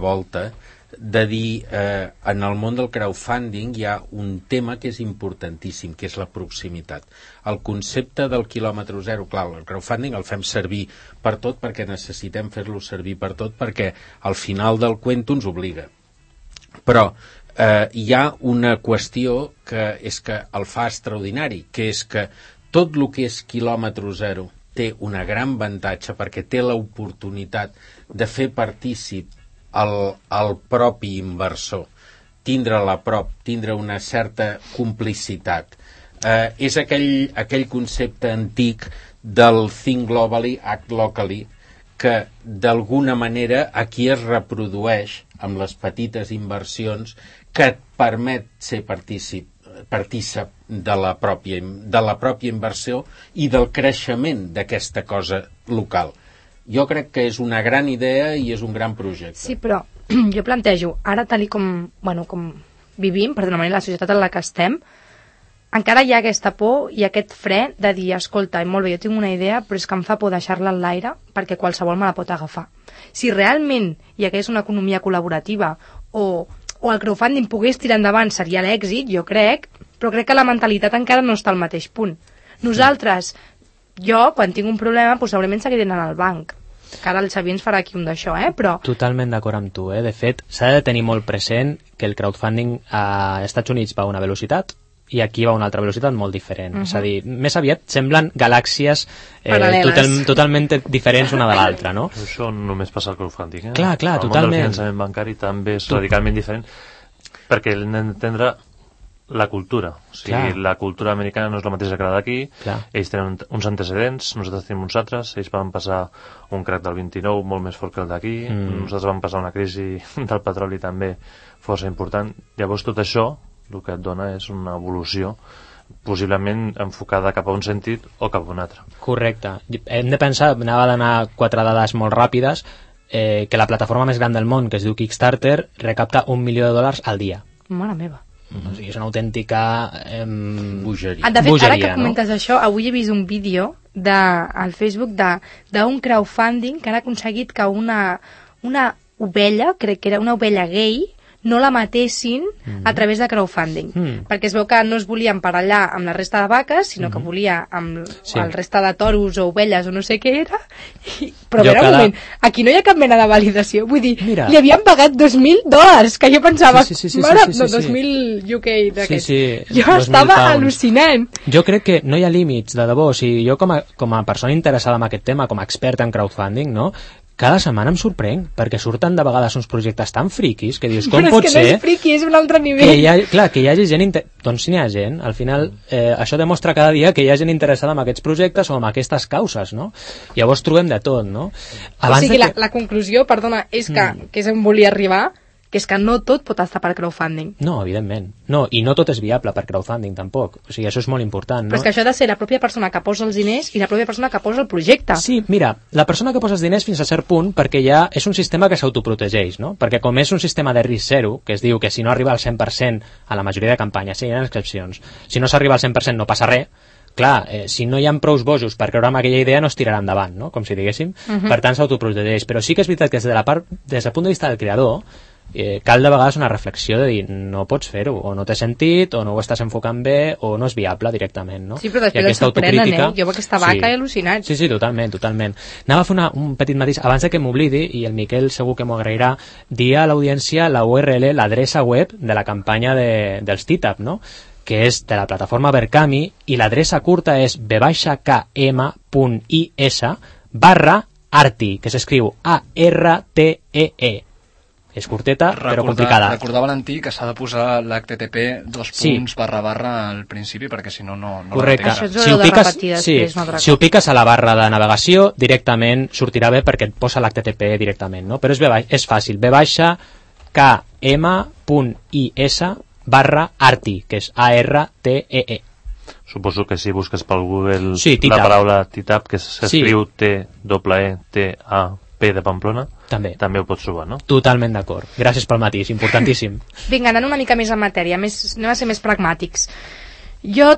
volta, de dir, en el món del crowdfunding hi ha un tema que és importantíssim, que és la proximitat. El concepte del quilòmetre zero, clar, el crowdfunding el fem servir per tot perquè necessitem fer-lo servir per tot perquè al final del cuento ens obliga. Però hi ha una qüestió que és que el fa extraordinari, que és que tot el que és quilòmetre zero té una gran avantatge perquè té l'oportunitat de fer partícip el propi inversor, tindre a prop, tindre una certa complicitat. És aquell concepte antic del think globally, act locally, que d'alguna manera aquí es reprodueix amb les petites inversions que et permet ser partícip de la pròpia inversió i del creixement d'aquesta cosa local. Jo crec que és una gran idea i és un gran projecte.
Sí, però jo plantejo, ara tal com vivim, per dir-ho, la societat en la que estem, encara hi ha aquesta por i aquest fre de dir, escolta, molt bé, jo tinc una idea, però és que em fa por deixar-la en l'aire perquè qualsevol me la pot agafar. Si realment hi hagués una economia col·laborativa o el crowdfunding pogués tirar endavant, seria l'èxit, jo crec, però crec que la mentalitat encara no està al mateix punt. Nosaltres, jo, quan tinc un problema, segurament seguiré anant al banc. Que ara el Xavier ens farà aquí un d'això, però...
Totalment d'acord amb tu, De fet, s'ha de tenir molt present que el crowdfunding a Estats Units va a una velocitat i aquí va a una altra velocitat molt diferent. És a dir, més aviat semblen galàxies totalment diferents una de l'altra, no?
Això només passa al crowdfunding,
Clar,
el
totalment.
món del finançament bancari també és radicalment diferent perquè hem d'entendre la cultura. O sigui, la cultura americana no és la mateixa que la d'aquí. Ells tenen uns antecedents, nosaltres tenim uns altres. Ells van passar un crac del 29 molt més fort que el d'aquí. Nosaltres vam passar una crisi del petroli també força important. Llavors tot això el que et dona és una evolució possiblement enfocada cap a un sentit o cap a un altre.
Correcte. Hem de pensar, anava a donar 4 dades molt ràpides, que la plataforma més gran del món, que es diu Kickstarter, recapta $1 milió al dia.
Mare meva.
O sigui, és una autèntica
bogeria.
De fet, ara que comentes això, avui he vist un vídeo al Facebook d'un crowdfunding que han aconseguit que una ovella, crec que era una ovella gay, no la matessin a través de crowdfunding, perquè es veu que no es volia emparellar amb la resta de vaques, sinó que volia amb el resta de toros o ovelles o no sé què era, però un moment, aquí no hi ha cap mena de validació, vull dir, li havien pagat $2.000, que jo pensava, mare, no, 2.000 UK d'aquests. Jo estava al·lucinant.
Jo crec que no hi ha límits, de debò, o sigui, jo com a persona interessada en aquest tema, com a expert en crowdfunding, no? cada setmana em sorprenc, perquè surten de vegades uns projectes tan friquis que dius, com
però
pot
és que
ser...
no és friqui, és un altre nivell.
Que hi hagi gent... Doncs si n'hi ha gent, al final això demostra cada dia que hi ha gent interessada en aquests projectes o en aquestes causes, no? Llavors trobem de tot, no?
O sigui, la conclusió, perdona, és que és on volia arribar, que és que no tot pot estar per crowdfunding.
No, evidentment. No, i no tot és viable per crowdfunding, tampoc. O sigui, això és molt important, no?
Però és que això ha de ser la pròpia persona que posa els diners i la pròpia persona que posa el projecte.
Sí, mira, la persona que posa els diners fins a cert punt, perquè ja és un sistema que s'autoprotegeix, no? Perquè com és un sistema de risc zero, que es diu que si no arriba al 100% a la majoria de campanyes, sí, hi ha excepcions, si no s'arriba al 100% no passa res, clar, si no hi ha prous bojos per creure en aquella idea no es tirarà endavant, no? Com si diguéssim. Per tant, s'autoprotegeix. Però sí que és veritat que des del punt de vista del creador, cal de vegades una reflexió de dir no pots fer-ho, o no té sentit, o no ho estàs enfocant bé, o no és viable directament, no?
Sí, però després et sorprenen, Jo amb aquesta vaca he al·lucinat.
Sí, totalment. Anava a fer un petit matís, abans de que m'oblidi, i el Miquel segur que m'ho agrairà, dir a l'audiència la URL, l'adreça web de la campanya dels TITAP, no? Que és de la plataforma Verkami, i l'adreça curta és b-km.is/arti, que s'escriu ARTEE. És curteta, però complicada.
Recordar, Valentí, que s'ha de posar l'HTTP al principi, perquè si no, no...
Correcte.
Això és de repetir després.
Si ho piques a la barra de navegació, directament sortirà bé perquè et posa l'HTTP directament, no? Però és fàcil. b-km.is/arti, que és ARTEE.
Suposo que si busques pel Google
la
paraula TITAP, que s'escriu TEETAP de Pamplona, també ho pots trobar, no?
Totalment d'acord. Gràcies pel matís, importantíssim.
Vinga, anant una mica més en matèria, anem a ser més pragmàtics. Jo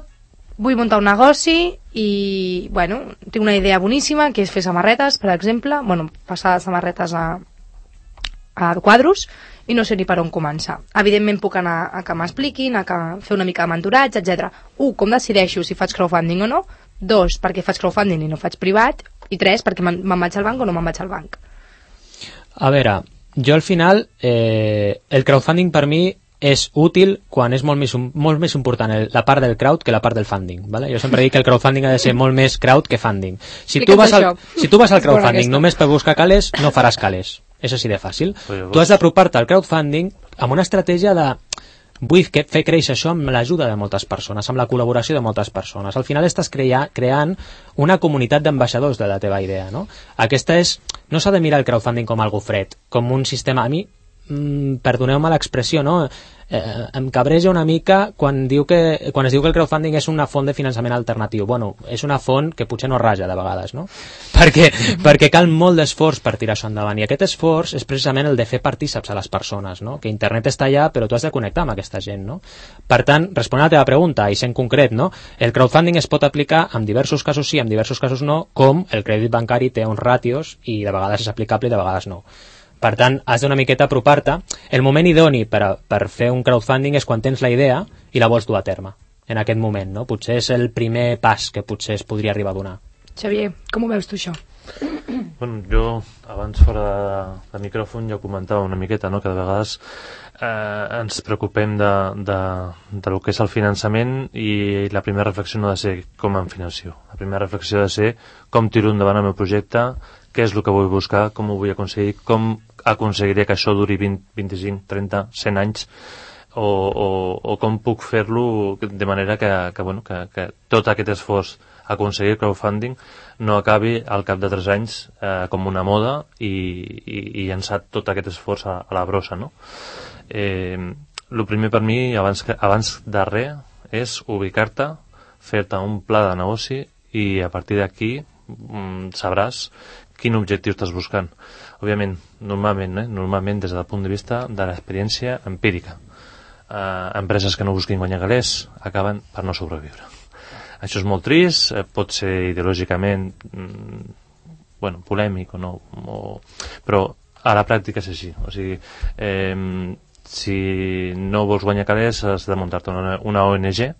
vull muntar un negoci i, bueno, tinc una idea boníssima, que és fer samarretes, per exemple, passar de samarretes a quadros, i no sé ni per on començar. Evidentment puc anar a que m'expliquin, a fer una mica de mentoratge, etc. 1. Com decideixo si faig crowdfunding o no? 2. Perquè faig crowdfunding i no faig privat? I 3. Perquè me'n vaig al banc o no me'n vaig al banc?
A veure, jo al final el crowdfunding per mi és útil quan és molt més important la part del crowd que la part del funding, ¿vale? Jo sempre dic que el crowdfunding ha de ser molt més crowd que funding. Si tu vas al crowdfunding només per buscar calés, no faràs calés. És així de fàcil. Tu has d'apropar-te al crowdfunding amb una estratègia de vull fer créixer això amb l'ajuda de moltes persones, amb la col·laboració de moltes persones. Al final estàs creant una comunitat d'ambaixadors de la teva idea, no? No s'ha de mirar el crowdfunding com algo fred, com un sistema... A mi, perdoneu-me l'expressió, no? Em cabreja una mica quan es diu que el crowdfunding és una font de finançament alternatiu. Bueno, és una font que potser no raja de vegades, no? Perquè cal molt d'esforç per tirar això endavant, i aquest esforç és precisament el de fer partíceps a les persones, no? Que internet està allà, però tu has de connectar amb aquesta gent, no? Per tant, responent a la teva pregunta, i sent concret, no? El crowdfunding es pot aplicar en diversos casos sí, en diversos casos no, com el crèdit bancari té uns ràtios i de vegades és aplicable i de vegades no. Per tant, has d'una miqueta apropar-te. El moment idoni per fer un crowdfunding és quan tens la idea i la vols dur a terme. En aquest moment, no? Potser és el primer pas que potser es podria arribar a donar.
Xavier, com ho veus tu, això?
Bueno, jo, abans fora de micròfon, ja ho comentava una miqueta, no? Que de vegades ens preocupem de lo que és el finançament, i la primera reflexió no ha de ser com em financio. La primera reflexió ha de ser com tiro endavant el meu projecte, què és el que vull buscar, com ho vull aconseguir, com aconseguiré que això duri 20, 25, 30, 100 anys, o com puc fer-lo de manera que tot aquest esforç aconseguir crowdfunding no acabi al cap de 3 anys com una moda i llançar tot aquest esforç a la brossa, no? El primer per mi, abans de res, és ubicar-te, fer-te un pla de negoci, i a partir d'aquí sabràs quin objectiu estàs buscant. Òbviament, normalment des del punt de vista de l'experiència empírica. Empreses que no busquin guanyar calés acaben per no sobreviure. Això és molt trist, pot ser ideològicament polèmic o no, però a la pràctica és així. O sigui, si no vols guanyar calés has de muntar-te una ONG,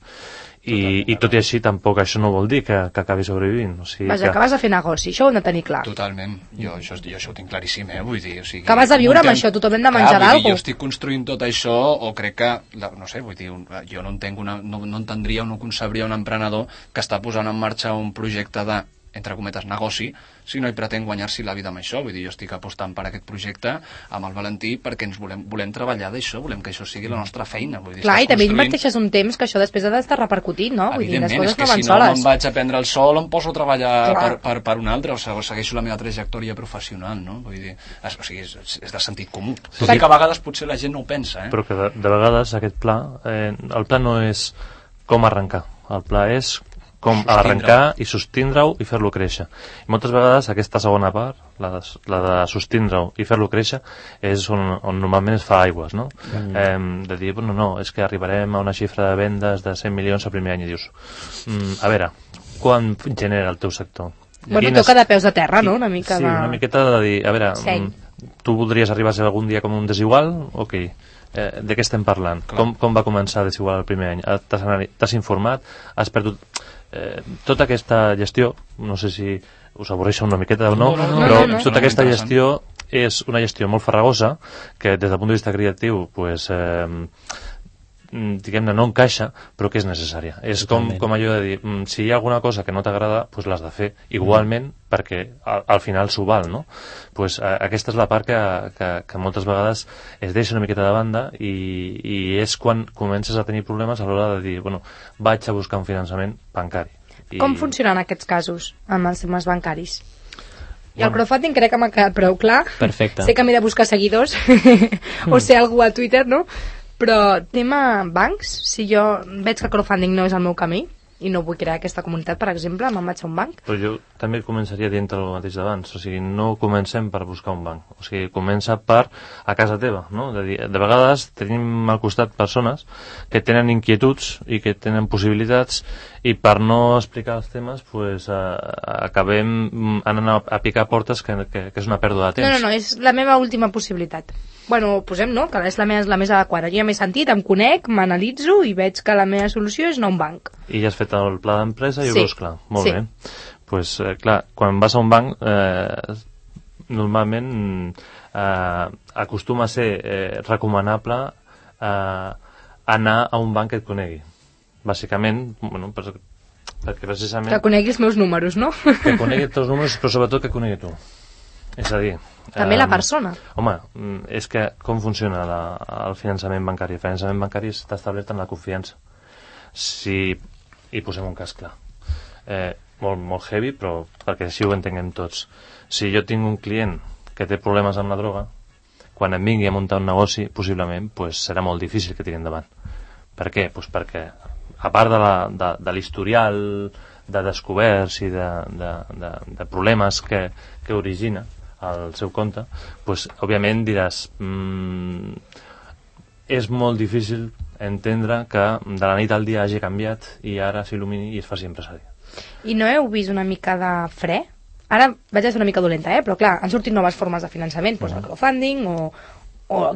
i tot i així tampoc això no vol dir que acabi sobrevivint. O sigui,
vaja, que vas a fer negoci, això ho hem de tenir clar.
Totalment, jo això ho tinc claríssim, vull dir, o sigui,
que vas a viure amb això, tothom hem de menjar d'algú.
Jo estic construint tot això, o crec que, no sé, vull dir, jo no entendria o no concebria un emprenedor que està posant en marxa un projecte de entre cometes, negoci, si no hi pretén guanyar-s'hi la vida amb això. Vull dir, jo estic apostant per aquest projecte amb el Valentí perquè ens volem treballar d'això, volem que això sigui la nostra feina. Vull dir,
clar, i també inverteixes un temps que això després ha d'estar repercutint, no? Vull dir, les coses no van soles.
Si no me'n vaig a prendre el sol, em poso a treballar per un altre, o segueixo la meva trajectòria professional, no? Vull dir, o sigui, és de sentit comú. Tot i que a vegades potser la gent no ho pensa,
Però que de vegades aquest pla, el pla no és com arrencar, el pla és com arrencar i sostindre-ho i fer-lo créixer. I moltes vegades aquesta segona part, la de sostindre-ho i fer-lo créixer, és on normalment es fa aigües, no? De dir, no, és que arribarem a una xifra de vendes de 100 milions el primer any i dius, a veure, quan genera el teu sector?
Bueno, toca de peus a terra, no? Una mica
sí, una miqueta de dir, a veure, tu voldries arribar a ser algun dia com un desigual? Ok. De què estem parlant? Com va començar a desigual el primer any? T'has informat? Has perdut... tota aquesta gestió, no sé si us avorreixo una miqueta o no, però tota aquesta gestió és una gestió molt farragosa que des del punt de vista creatiu pues, diguem-ne no encaixa, però que és necessària. És com allò de dir, si hi ha alguna cosa que no t'agrada, pues l'has de fer igualment perquè al final s'ho val, no? Pues aquesta és la part que moltes vegades es deixa una miqueta de banda i és quan comences a tenir problemes a l'hora de dir, bueno, vaig a buscar un finançament bancari.
Com funcionen aquests casos amb els temes bancaris? I el crowdfunding crec que m'ha quedat prou clar.
Perfecte.
Sé que m'he de buscar seguidors o ser algú a Twitter, no? Però tema bancs, si jo veig que el crowdfunding no és el meu camí i no vull crear aquesta comunitat, per exemple, me'n vaig a un banc.
Però jo també començaria dient el mateix d'abans, o sigui, no comencem per buscar un banc, o sigui, comença per a casa teva, no? De vegades tenim al costat persones que tenen inquietuds i que tenen possibilitats i per no explicar els temes pues, acabem anant a picar portes que és una pèrdua de temps.
No, és la meva última possibilitat. Bueno, posem, no?, que és la més adequada. Jo ja m'he sentit, em conec, m'analitzo i veig que la meva solució és anar a un banc.
I ja has fet el pla d'empresa i ho veus clar. Molt bé. Pues, clar, quan vas a un banc, normalment acostuma a ser recomanable anar a un banc que et conegui. Bàsicament, bueno, perquè precisament...
Que conegui els meus números, no?
Que conegui els teus números, però sobretot que conegui tu. És a dir...
També la persona.
Home, és que com funciona el finançament bancari? El finançament bancari està establert en la confiança. I posem un cas clar. Molt heavy, però perquè així ho entenguem tots. Si jo tinc un client que té problemes amb la droga, quan em vingui a muntar un negoci, possiblement pues, serà molt difícil que tiri endavant. Per què? Pues perquè a part de l'historial de descoberts i de problemes que origina el seu compte, pues, òbviament diràs és molt difícil entendre que de la nit al dia hagi canviat i ara s'il·lumini i es faci empresari.
I no heu vist una mica de fre? Ara vaig a ser una mica dolenta, però clar, han sortit noves formes de finançament, doncs el crowdfunding o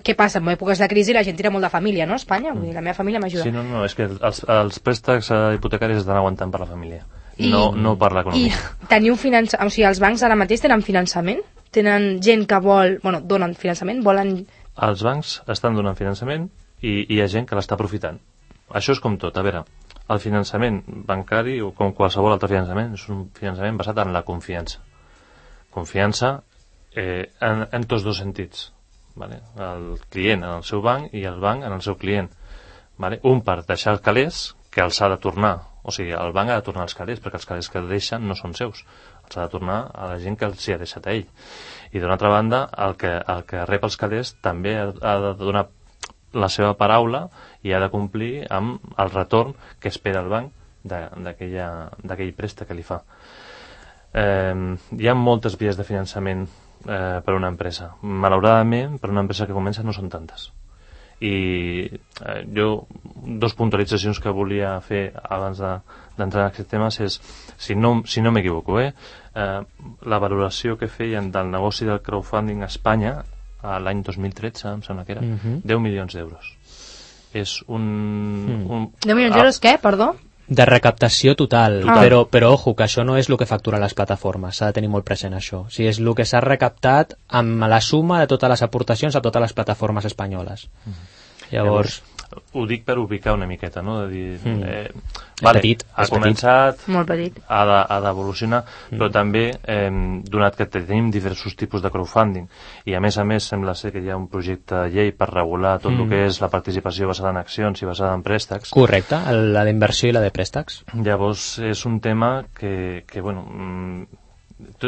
què passa? En èpoques de crisi la gent tira molt de família, no? A Espanya, vull dir, la meva família m'ajuda.
Sí, no, és que els préstecs hipotecaris estan aguantant per la família, no per l'economia.
I tenir un finançament, o sigui, els bancs ara mateix tenen finançament? Tenen gent que vol, bueno, donen finançament, volen...
Els bancs estan donant finançament i hi ha gent que l'està aprofitant. Això és com tot, a veure, el finançament bancari o com qualsevol altre finançament és un finançament basat en la confiança. Confiança en tots dos sentits. Vale? El client en el seu banc i el banc en el seu client. Vale? Un per deixar els calés que els ha de tornar, o sigui, el banc ha de tornar els calés perquè els calés que deixen no són seus, els ha de tornar a la gent que els hi ha deixat a ell. I d'una altra banda, el que rep els calés també ha de donar la seva paraula i ha de complir amb el retorn que espera el banc d'aquell préstec que li fa. Hi ha moltes vies de finançament per una empresa. Malauradament, per una empresa que comença no són tantes. I jo, dos puntualitzacions que volia fer abans d'entrar en aquests temes és, si no m'equivoco, la valoració que feien del negoci del crowdfunding a Espanya l'any 2013, em sembla que era 10 milions d'euros. És un
10 milions d'euros què, perdó?
De recaptació total, però ojo, que això no és el que facturen les plataformes, s'ha de tenir molt present això. O sigui, és el que s'ha recaptat amb la suma de totes les aportacions a totes les plataformes espanyoles. Llavors,
ho dic per ubicar una miqueta, no? De dir,
petit,
ha començat,
molt petit,
ha d'evolucionar, però també, donat que tenim diversos tipus de crowdfunding, i a més sembla ser que hi ha un projecte de llei per regular tot el que és la participació basada en accions i basada en préstecs.
Correcte, la d'inversió i la de préstecs.
Llavors és un tema que bueno,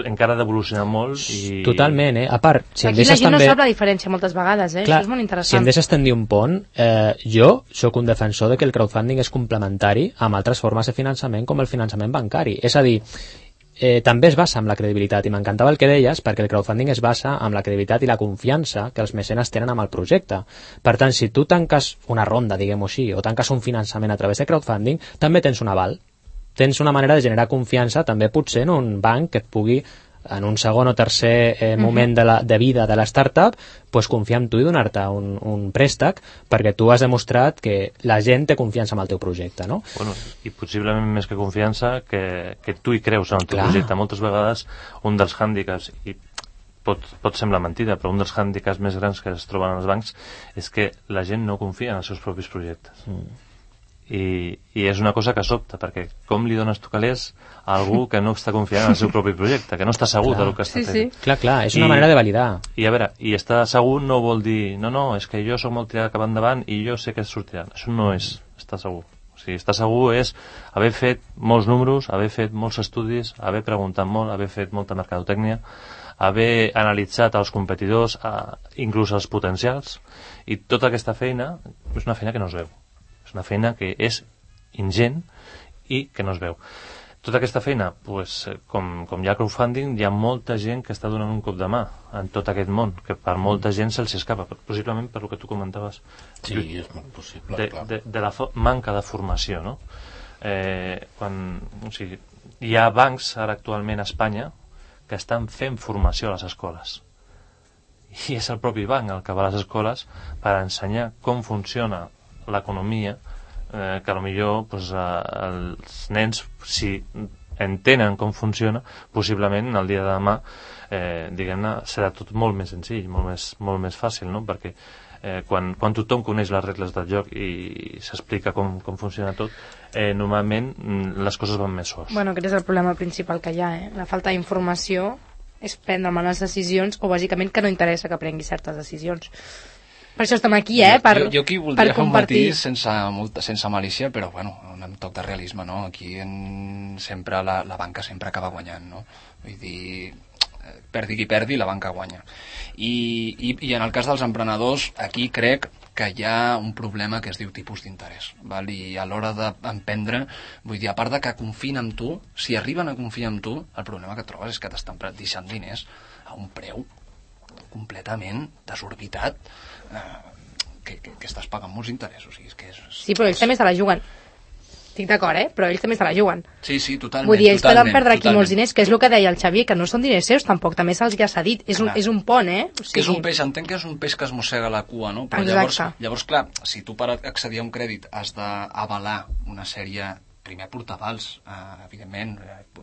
encara ha d'evolucionar molt i...
Totalment, a part, si em
aquí la
deixes
gent
també...
no sap la diferència moltes vegades,
Clar,
això és molt interessant.
si em deixes tendir un pont, jo sóc un defensor de que el crowdfunding és complementari amb altres formes de finançament com el finançament bancari, és a dir, també es basa en la credibilitat, i m'encantava el que deies, perquè el crowdfunding es basa en la credibilitat i la confiança que els mecenes tenen amb el projecte. Per tant, si tu tanques una ronda, diguem-ho així, o tanques un finançament a través de crowdfunding, també tens un aval. Tens una manera de generar confiança també potser en un banc que et pugui en un segon o tercer moment de vida de la startup, pues confiar en tu i donar-te un préstec perquè tu has demostrat que la gent té confiança en el teu projecte, no?
Bueno, i possiblement més que confiança que tu hi creus en el teu projecte. Moltes vegades un dels hàndicaps, i pot semblar mentida, però un dels hàndicaps més grans que es troben als bancs és que la gent no confia en els seus propis projectes. I és una cosa que sobta, perquè com li dones tu calés a algú que no està confiant en el seu propi projecte, que no està segur del que està fent.
Clar, és una manera de validar.
I a veure, i estar segur no vol dir no, és que jo sóc molt tirat cap endavant i jo sé que sortirà. Això no és estar segur. O sigui, estar segur és haver fet molts números, haver fet molts estudis, haver preguntat molt, haver fet molta mercadotècnia, haver analitzat els competidors, inclús els potencials, i tota aquesta feina és una feina que no es veu. És una feina que és ingent i que no es veu. Tota aquesta feina, pues, com hi ha crowdfunding, hi ha molta gent que està donant un cop de mà en tot aquest món, que per molta gent se'ls escapa, possiblement per el que tu comentaves.
Sí, és molt possible, clar.
De la manca de formació, no? O sigui, hi ha bancs ara actualment a Espanya que estan fent formació a les escoles. I és el propi banc el que va a les escoles per ensenyar com funciona l'economia, que potser pues, els nens, si entenen com funciona, possiblement el dia de demà diguem-ne, serà tot molt més senzill, molt més fàcil, no? Perquè quan tothom coneix les regles del joc i s'explica com funciona tot, normalment les coses van més sols.
Bueno, aquest és el problema principal que hi ha, la falta d'informació és prendre males decisions o bàsicament que no interessa que prengui certes decisions. Per això estem aquí,
jo aquí voldria fer un matís sense malícia, però bueno, un toc de realisme, no? Aquí sempre la banca sempre acaba guanyant, no? Vull dir, perdi qui perdi, la banca guanya. I en el cas dels emprenedors, aquí crec que hi ha un problema que es diu tipus d'interès, val? I a l'hora d'emprendre, vull dir, a part de que confien en tu, si arriben a confiar en tu, el problema que trobes és que t'estan deixant diners a un preu completament desorbitat, que estàs pagant molts interessos.
Sí, però ells també se la juguen. Estic d'acord, però ells també se la juguen.
Sí, totalment.
Vull dir, ells poden perdre aquí molts diners, que és el que deia el Xavier, que no són diners seus tampoc, també se'ls ja s'ha dit, és un pont, O sigui...
Que és un peix, entenc que és un peix que es mossega la cua, no? Però llavors, clar, si tu per accedir a un crèdit has d'avalar una sèrie, primer portavals, evidentment,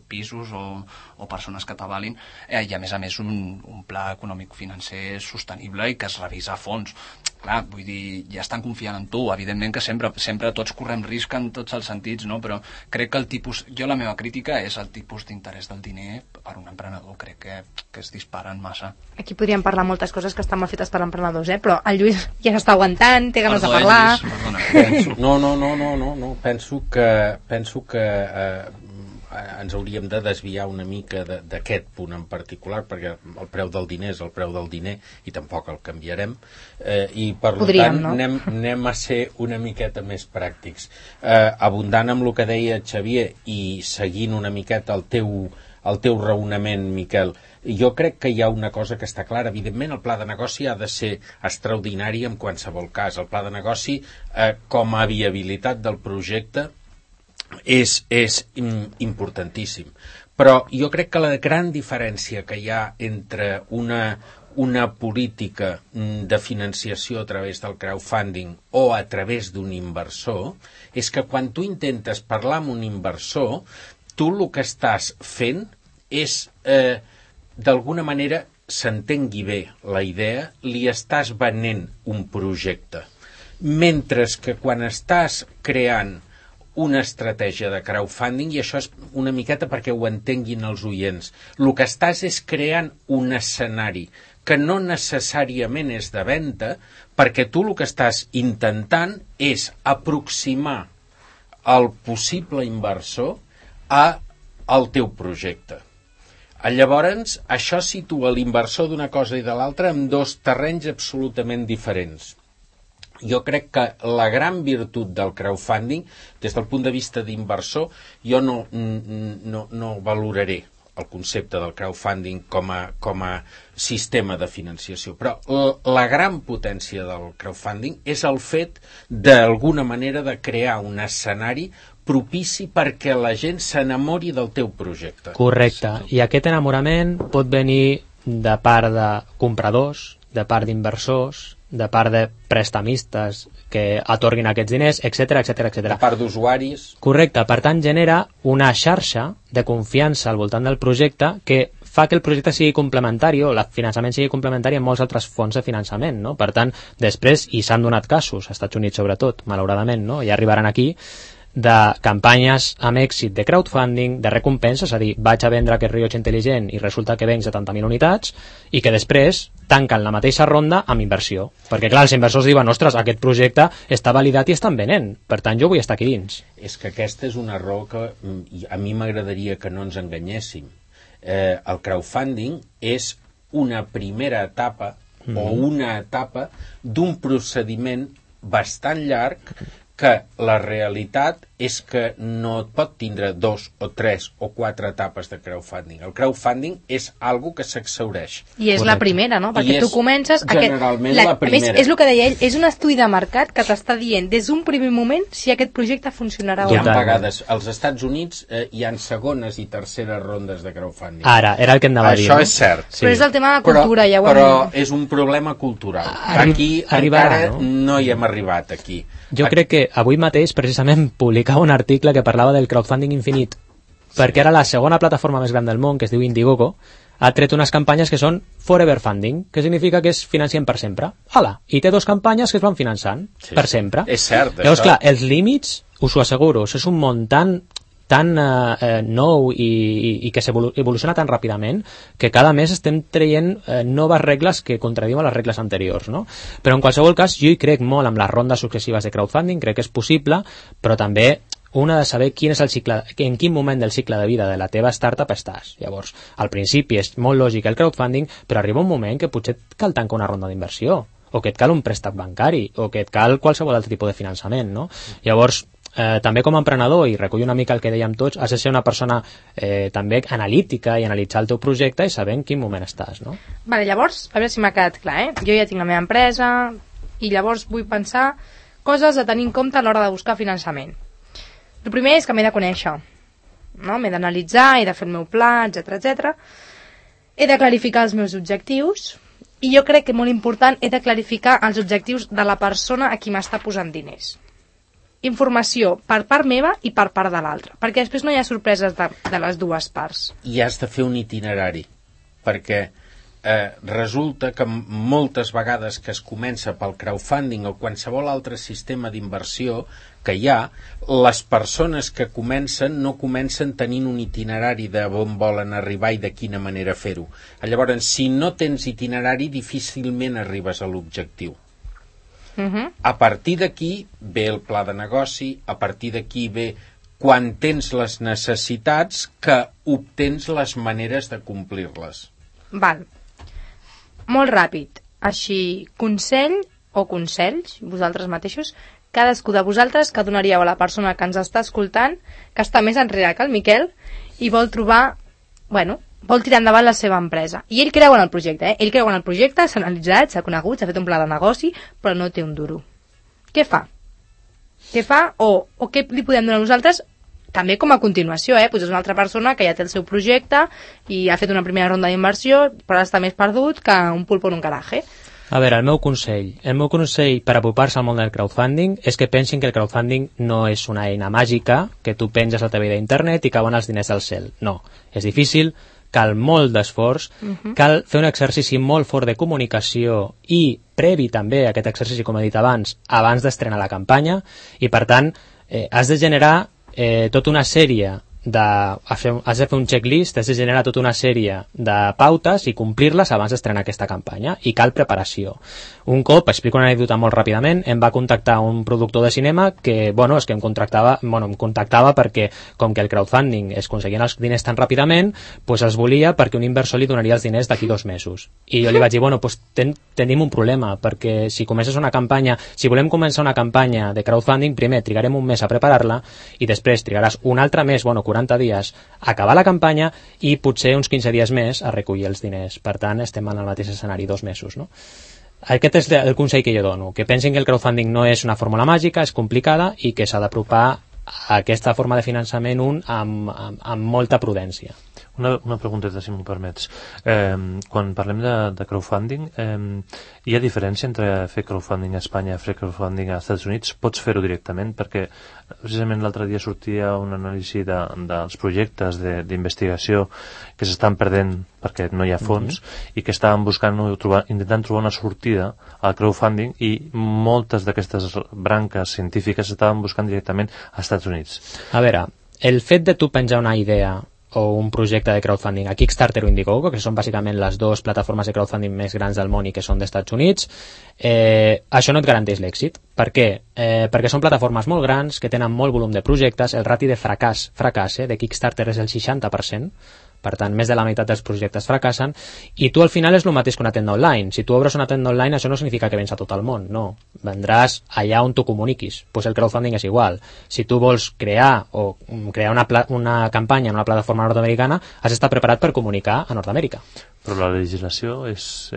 pisos o persones que t'avalin, i a més un pla econòmic-financer sostenible i que es revisa a fons. Clar, vull dir, ja estan confiant en tu, evidentment que sempre tots correm risc en tots els sentits, no? Però crec que la meva crítica és el tipus d'interès del diner per un emprenedor, crec que es disparen massa.
Aquí podríem parlar moltes coses que estan mal fetes per emprenedors, però el Lluís ja s'està aguantant, té ganes de parlar.
No, penso que ens hauríem de desviar una mica d'aquest punt en particular, perquè el preu del diner és el preu del diner i tampoc el canviarem, i per tant anem a ser una miqueta més pràctics, abundant amb el que deia Xavier i seguint una miqueta el teu raonament, Miquel. Jo crec que hi ha una cosa que està clara. Evidentment, el pla de negoci ha de ser extraordinari en qualsevol cas. El pla de negoci, com a viabilitat del projecte, és importantíssim. Però jo crec que la gran diferència que hi ha entre una política de financiació a través del crowdfunding o a través d'un inversor és que quan tu intentes parlar amb un inversor, tu el que estàs fent és, d'alguna manera, s'entengui bé la idea, li estàs venent un projecte. Mentre que quan estàs creant una estratègia de crowdfunding, i això és una miqueta perquè ho entenguin els oients, el que estàs és creant un escenari que no necessàriament és de venda, perquè tu el que estàs intentant és aproximar el possible inversor al teu projecte. Llavors, això situa l'inversor d'una cosa i de l'altra en dos terrenys absolutament diferents. Jo crec que la gran virtut del crowdfunding, des del punt de vista d'inversor, jo no valoraré el concepte del crowdfunding com a sistema de financiació, però la gran potència del crowdfunding és el fet d'alguna manera de crear un escenari propici perquè la gent s'enamori del teu projecte.
Correcte, i aquest enamorament pot venir de part de compradors, de part d'inversors, de part de prestamistes que atorguin aquests diners, etc.
De part d'usuaris.
Correcte, per tant genera una xarxa de confiança al voltant del projecte que fa que el projecte sigui complementari o el finançament sigui complementari amb molts altres fons de finançament, no? Per tant, després, i s'han donat casos, als Estats Units sobretot, malauradament, no? Ja arribaran aquí, de campanyes amb èxit de crowdfunding, de recompenses, és a dir, vaig a vendre aquest rellotge intel·ligent i resulta que venc 70.000 unitats i que després tanquen la mateixa ronda amb inversió. Perquè, clar, els inversors diuen, ostres, aquest projecte està validat i estan venent, per tant, jo vull estar aquí dins.
És que aquesta és una raó que a mi m'agradaria que no ens enganyéssim. El crowdfunding és una primera etapa o una etapa d'un procediment bastant llarg que la realitat és que no et pot tindre 2 o 3 o 4 etapes de crowdfunding. El crowdfunding és algo que s'exhaureix.
I és la primera, no? Perquè tu comences...
Generalment la primera.
A més, és el que deia ell, és un estudi de mercat que t'està dient des d'un primer moment si aquest projecte funcionarà o no.
Hi ha vegades, als Estats Units hi ha segones i terceres rondes de crowdfunding.
Ara, era el que anava a dir.
Això és cert.
Sí. Però és el tema de cultura, ja ho hem...
Però és un problema cultural. Aquí encara no hi hem arribat, aquí.
Jo crec que avui mateix, precisament, publicava un article que parlava del crowdfunding infinit, perquè ara la segona plataforma més gran del món, que es diu Indiegogo, ha tret unes campanyes que són Forever Funding, que significa que es financien per sempre. Hala, i té 2 campanyes que es van finançant per sempre.
És cert,
llavors, clar, els límits, us ho asseguro, és un món tan nou i que s'evoluciona tan ràpidament que cada mes estem traient noves regles que contradiuen les regles anteriors, no? Però en qualsevol cas jo hi crec molt amb les rondes successives de crowdfunding, crec que és possible, però també una de saber quin és el cicle, en quin moment del cicle de vida de la teva startup estàs. Llavors, al principi és molt lògic el crowdfunding, però arriba un moment que potser et cal tancar una ronda d'inversió, o que et cal un préstec bancari, o que et cal qualsevol altre tipus de finançament, no? Llavors, també com a emprenedor, i recullo una mica el que dèiem tots, has de ser una persona també analítica i analitzar el teu projecte i saber en quin moment estàs, no?
Vale, llavors, a veure si m'ha quedat clar, Jo ja tinc la meva empresa i llavors vull pensar coses a tenir en compte a l'hora de buscar finançament. El primer és que m'he de conèixer, no? M'he d'analitzar, he de fer el meu pla, etc. He de clarificar els meus objectius i jo crec que molt important he de clarificar els objectius de la persona a qui m'està posant diners. Informació per part meva i per part de l'altra, perquè després no hi ha sorpreses de les dues parts.
I has de fer un itinerari, perquè resulta que moltes vegades que es comença pel crowdfunding o qualsevol altre sistema d'inversió que hi ha, les persones que comencen no comencen tenint un itinerari de on volen arribar i de quina manera fer-ho. Llavors, si no tens itinerari, difícilment arribes a l'objectiu. A partir d'aquí ve el pla de negoci, a partir d'aquí ve quan tens les necessitats que obtens les maneres de complir-les.
Val. Molt ràpid. Així, consell o consells, vosaltres mateixos, cadascú de vosaltres que donaríeu a la persona que ens està escoltant, que està més enrere que el Miquel i vol trobar, vol tirar endavant la seva empresa. I ell creu en el projecte, Ell creu en el projecte, s'ha analitzat, s'ha conegut, s'ha fet un pla de negoci, però no té un duro. Què fa? Què fa? O què li podem donar nosaltres? També com a continuació, Pues és una altra persona que ja té el seu projecte i ha fet una primera ronda d'inversió, però està més perdut que un pulpo en un garaje.
A veure, el meu consell per apropar-se al món del crowdfunding és que pensin que el crowdfunding no és una eina màgica que tu penges a la teva vida d'internet i cauen els diners del cel. No, és difícil, cal molt d'esforç, cal fer un exercici molt fort de comunicació i previ també a aquest exercici, com he dit abans d'estrenar la campanya, i per tant has de generar tota una sèrie has de fer un checklist, has de generar tota una sèrie de pautes i complir-les abans d'estrenar aquesta campanya, i cal preparació. Un cop, explico una anècdota molt ràpidament, em va contactar un productor de cinema que, és que em contactava perquè, com que el crowdfunding es aconseguien els diners tan ràpidament, els volia perquè un inversor li donaria els diners d'aquí 2 mesos. I jo li vaig dir, tenim un problema, perquè si volem començar una campanya de crowdfunding, primer trigarem un mes a preparar-la i després trigaràs un altre mes, 40 dies a acabar la campanya i potser uns 15 dies més a recollir els diners. Per tant, estem en el mateix escenari, 2 mesos, no? Aquest és el consell que jo dono, que pensin que el crowdfunding no és una fórmula màgica, és complicada i que s'ha d'apropar a aquesta forma de finançament amb molta prudència.
Una pregunteta, si m'ho permets. Quan parlem de crowdfunding, hi ha diferència entre fer crowdfunding a Espanya i fer crowdfunding als Estats Units? Pots fer-ho directament? Perquè precisament l'altre dia sortia una anàlisi dels projectes d'investigació que s'estan perdent perquè no hi ha fons i que estaven intentant trobar una sortida al crowdfunding, i moltes d'aquestes branques científiques estaven buscant directament als Estats Units.
A veure, el fet de tu penjar una idea o un projecte de crowdfunding a Kickstarter o Indiegogo, que són bàsicament les 2 plataformes de crowdfunding més grans del món i que són dels Estats Units, això no et garanteix l'èxit. Per què? Perquè són plataformes molt grans, que tenen molt volum de projectes, el rati de fracàs de Kickstarter és el 60%, per tant, més de la meitat dels projectes fracassen, i tu al final és el mateix que una tenda online. Si tu obres una tenda online, això no significa que vens a tot el món, no. Vendràs allà on tu comuniquis. El crowdfunding és igual. Si tu vols crear una campanya en una plataforma nord-americana, has d'estar preparat per comunicar a Nord-Amèrica.
Però la legislació és...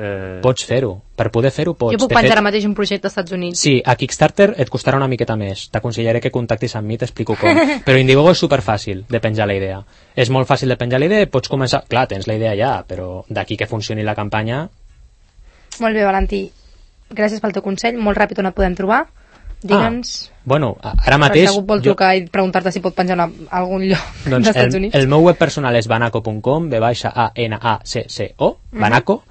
Pots fer-ho. Per poder fer-ho pots.
Jo puc penjar ara mateix un projecte als Estats Units.
Sí, a Kickstarter et costarà una miqueta més. T'aconsellaré que contactis amb mi, t'explico com. Però Indiegogo és superfàcil de penjar la idea. És molt fàcil de penjar la idea, pots començar... Clar, tens la idea ja, però d'aquí que funcioni la campanya...
Molt bé, Valentí. Gràcies pel teu consell. Molt ràpid, on et podem trobar? Digue'ns...
ara mateix...
Si algú vol trucar i preguntar-te si pot penjar a algun lloc dels Estats Units.
El meu web personal és banaco.com, B-A-N-A-C-C-O, Banaco,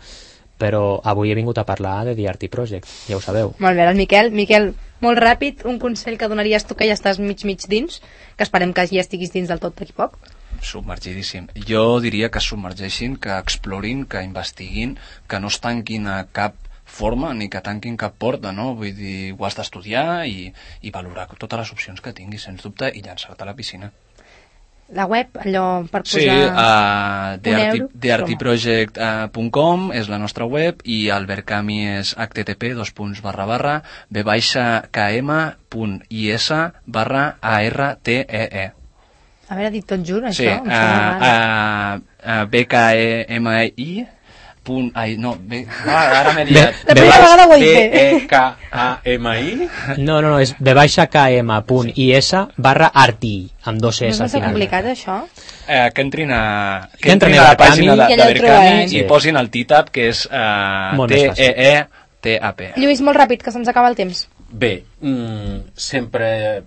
però avui he vingut a parlar de The RT Project, ja ho sabeu.
Molt bé, el Miquel. Miquel, molt ràpid, un consell que donaries tu, que ja estàs mig dins, que esperem que ja estiguis dins del tot d'aquí poc.
Submergidíssim. Jo diria que submergeixin, que explorin, que investiguin, que no es tanquin a cap forma ni que tanquin cap porta, no? Vull dir, ho has d'estudiar i valorar totes les opcions que tinguis, sens dubte, i llançar-te a la piscina.
La web, allò per posar...
Sí, theartproject.com és la nostra web, i el Verkami és http://b-km.is/ARTEE.
A veure, dit tot junt, això.
Sí, BKEMI ara m'he liat.
La primera vegada ho he dit.
BEKAMI?
No, és b-km.is/RTI, amb 2 S
al final. No és
complicat,
això?
Que entrin a la pàgina de Verkami i posin el TTAP, que és TEETAP.
Lluís, molt ràpid, que se'ns acaba el temps.
Bé, sempre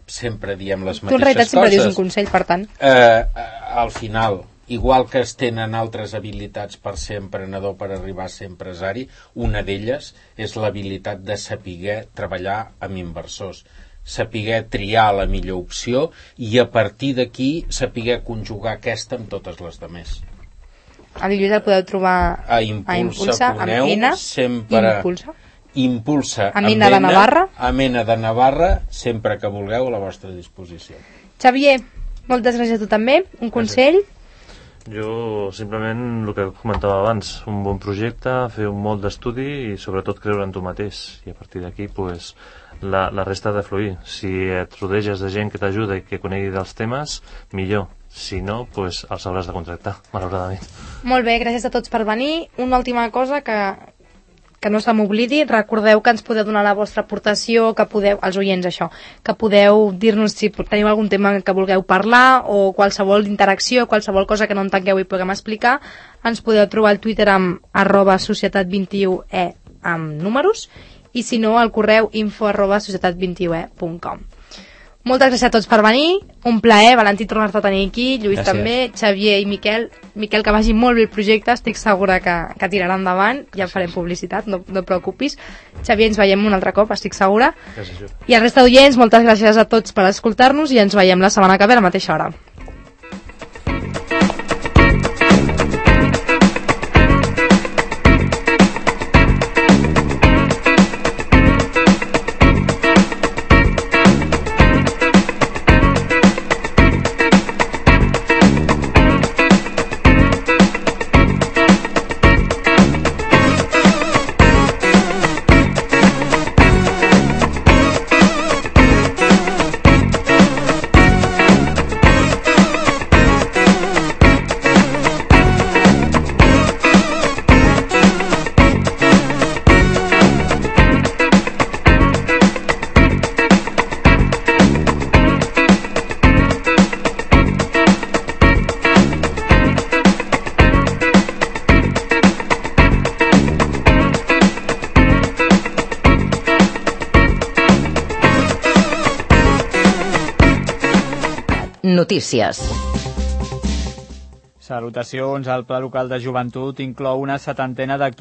diem les mateixes coses.
Tu en realitat sempre dius un consell, per tant.
Al final, igual que es tenen altres habilitats per ser emprenedor, per arribar a ser empresari, una d'elles és l'habilitat de saber treballar amb inversors, saber triar la millor opció i a partir d'aquí saber conjugar aquesta amb totes les demés.
El Lluís el podeu trobar
a Impulsa,
amb N,
sempre Impulsa
amb Mena de Navarra.
A Mena de Navarra, sempre que vulgueu, a la vostra disposició.
Xavier, moltes gràcies a tu també. Un consell?
Jo simplement el que comentava abans, un bon projecte, fer un molt d'estudi i sobretot creure en tu mateix, i a partir d'aquí pues, la resta ha de fluir. Si et rodeges de gent que t'ajuda i que conegui dels temes, millor. Si no, pues, els hauràs de contractar, malauradament.
Molt bé, gràcies a tots per venir. Una última cosa que no se m'oblidi, recordeu que ens podeu donar la vostra aportació, que podeu, els oients això, que podeu dir-nos si teniu algun tema que vulgueu parlar o qualsevol interacció, qualsevol cosa que no entengueu i puguem explicar. Ens podeu trobar al Twitter amb @societat21e amb números, i si no al correu info@societat21e.com. Moltes gràcies a tots per venir, un plaer, Valentí, tornar-te a tenir aquí, Lluís
Gràcies.
també, Xavier i Miquel, que vagi molt bé el projecte, estic segura que tirarà endavant, ja farem publicitat, no et preocupis. Xavier, ens veiem un altre cop, estic segura.
Gràcies.
I al resta d'oients, moltes gràcies a tots per escoltar-nos i ens veiem la setmana que ve a la mateixa hora.
Notícies.
Salutacions. El Pla Local de Joventut inclou una 70ena d'actuacions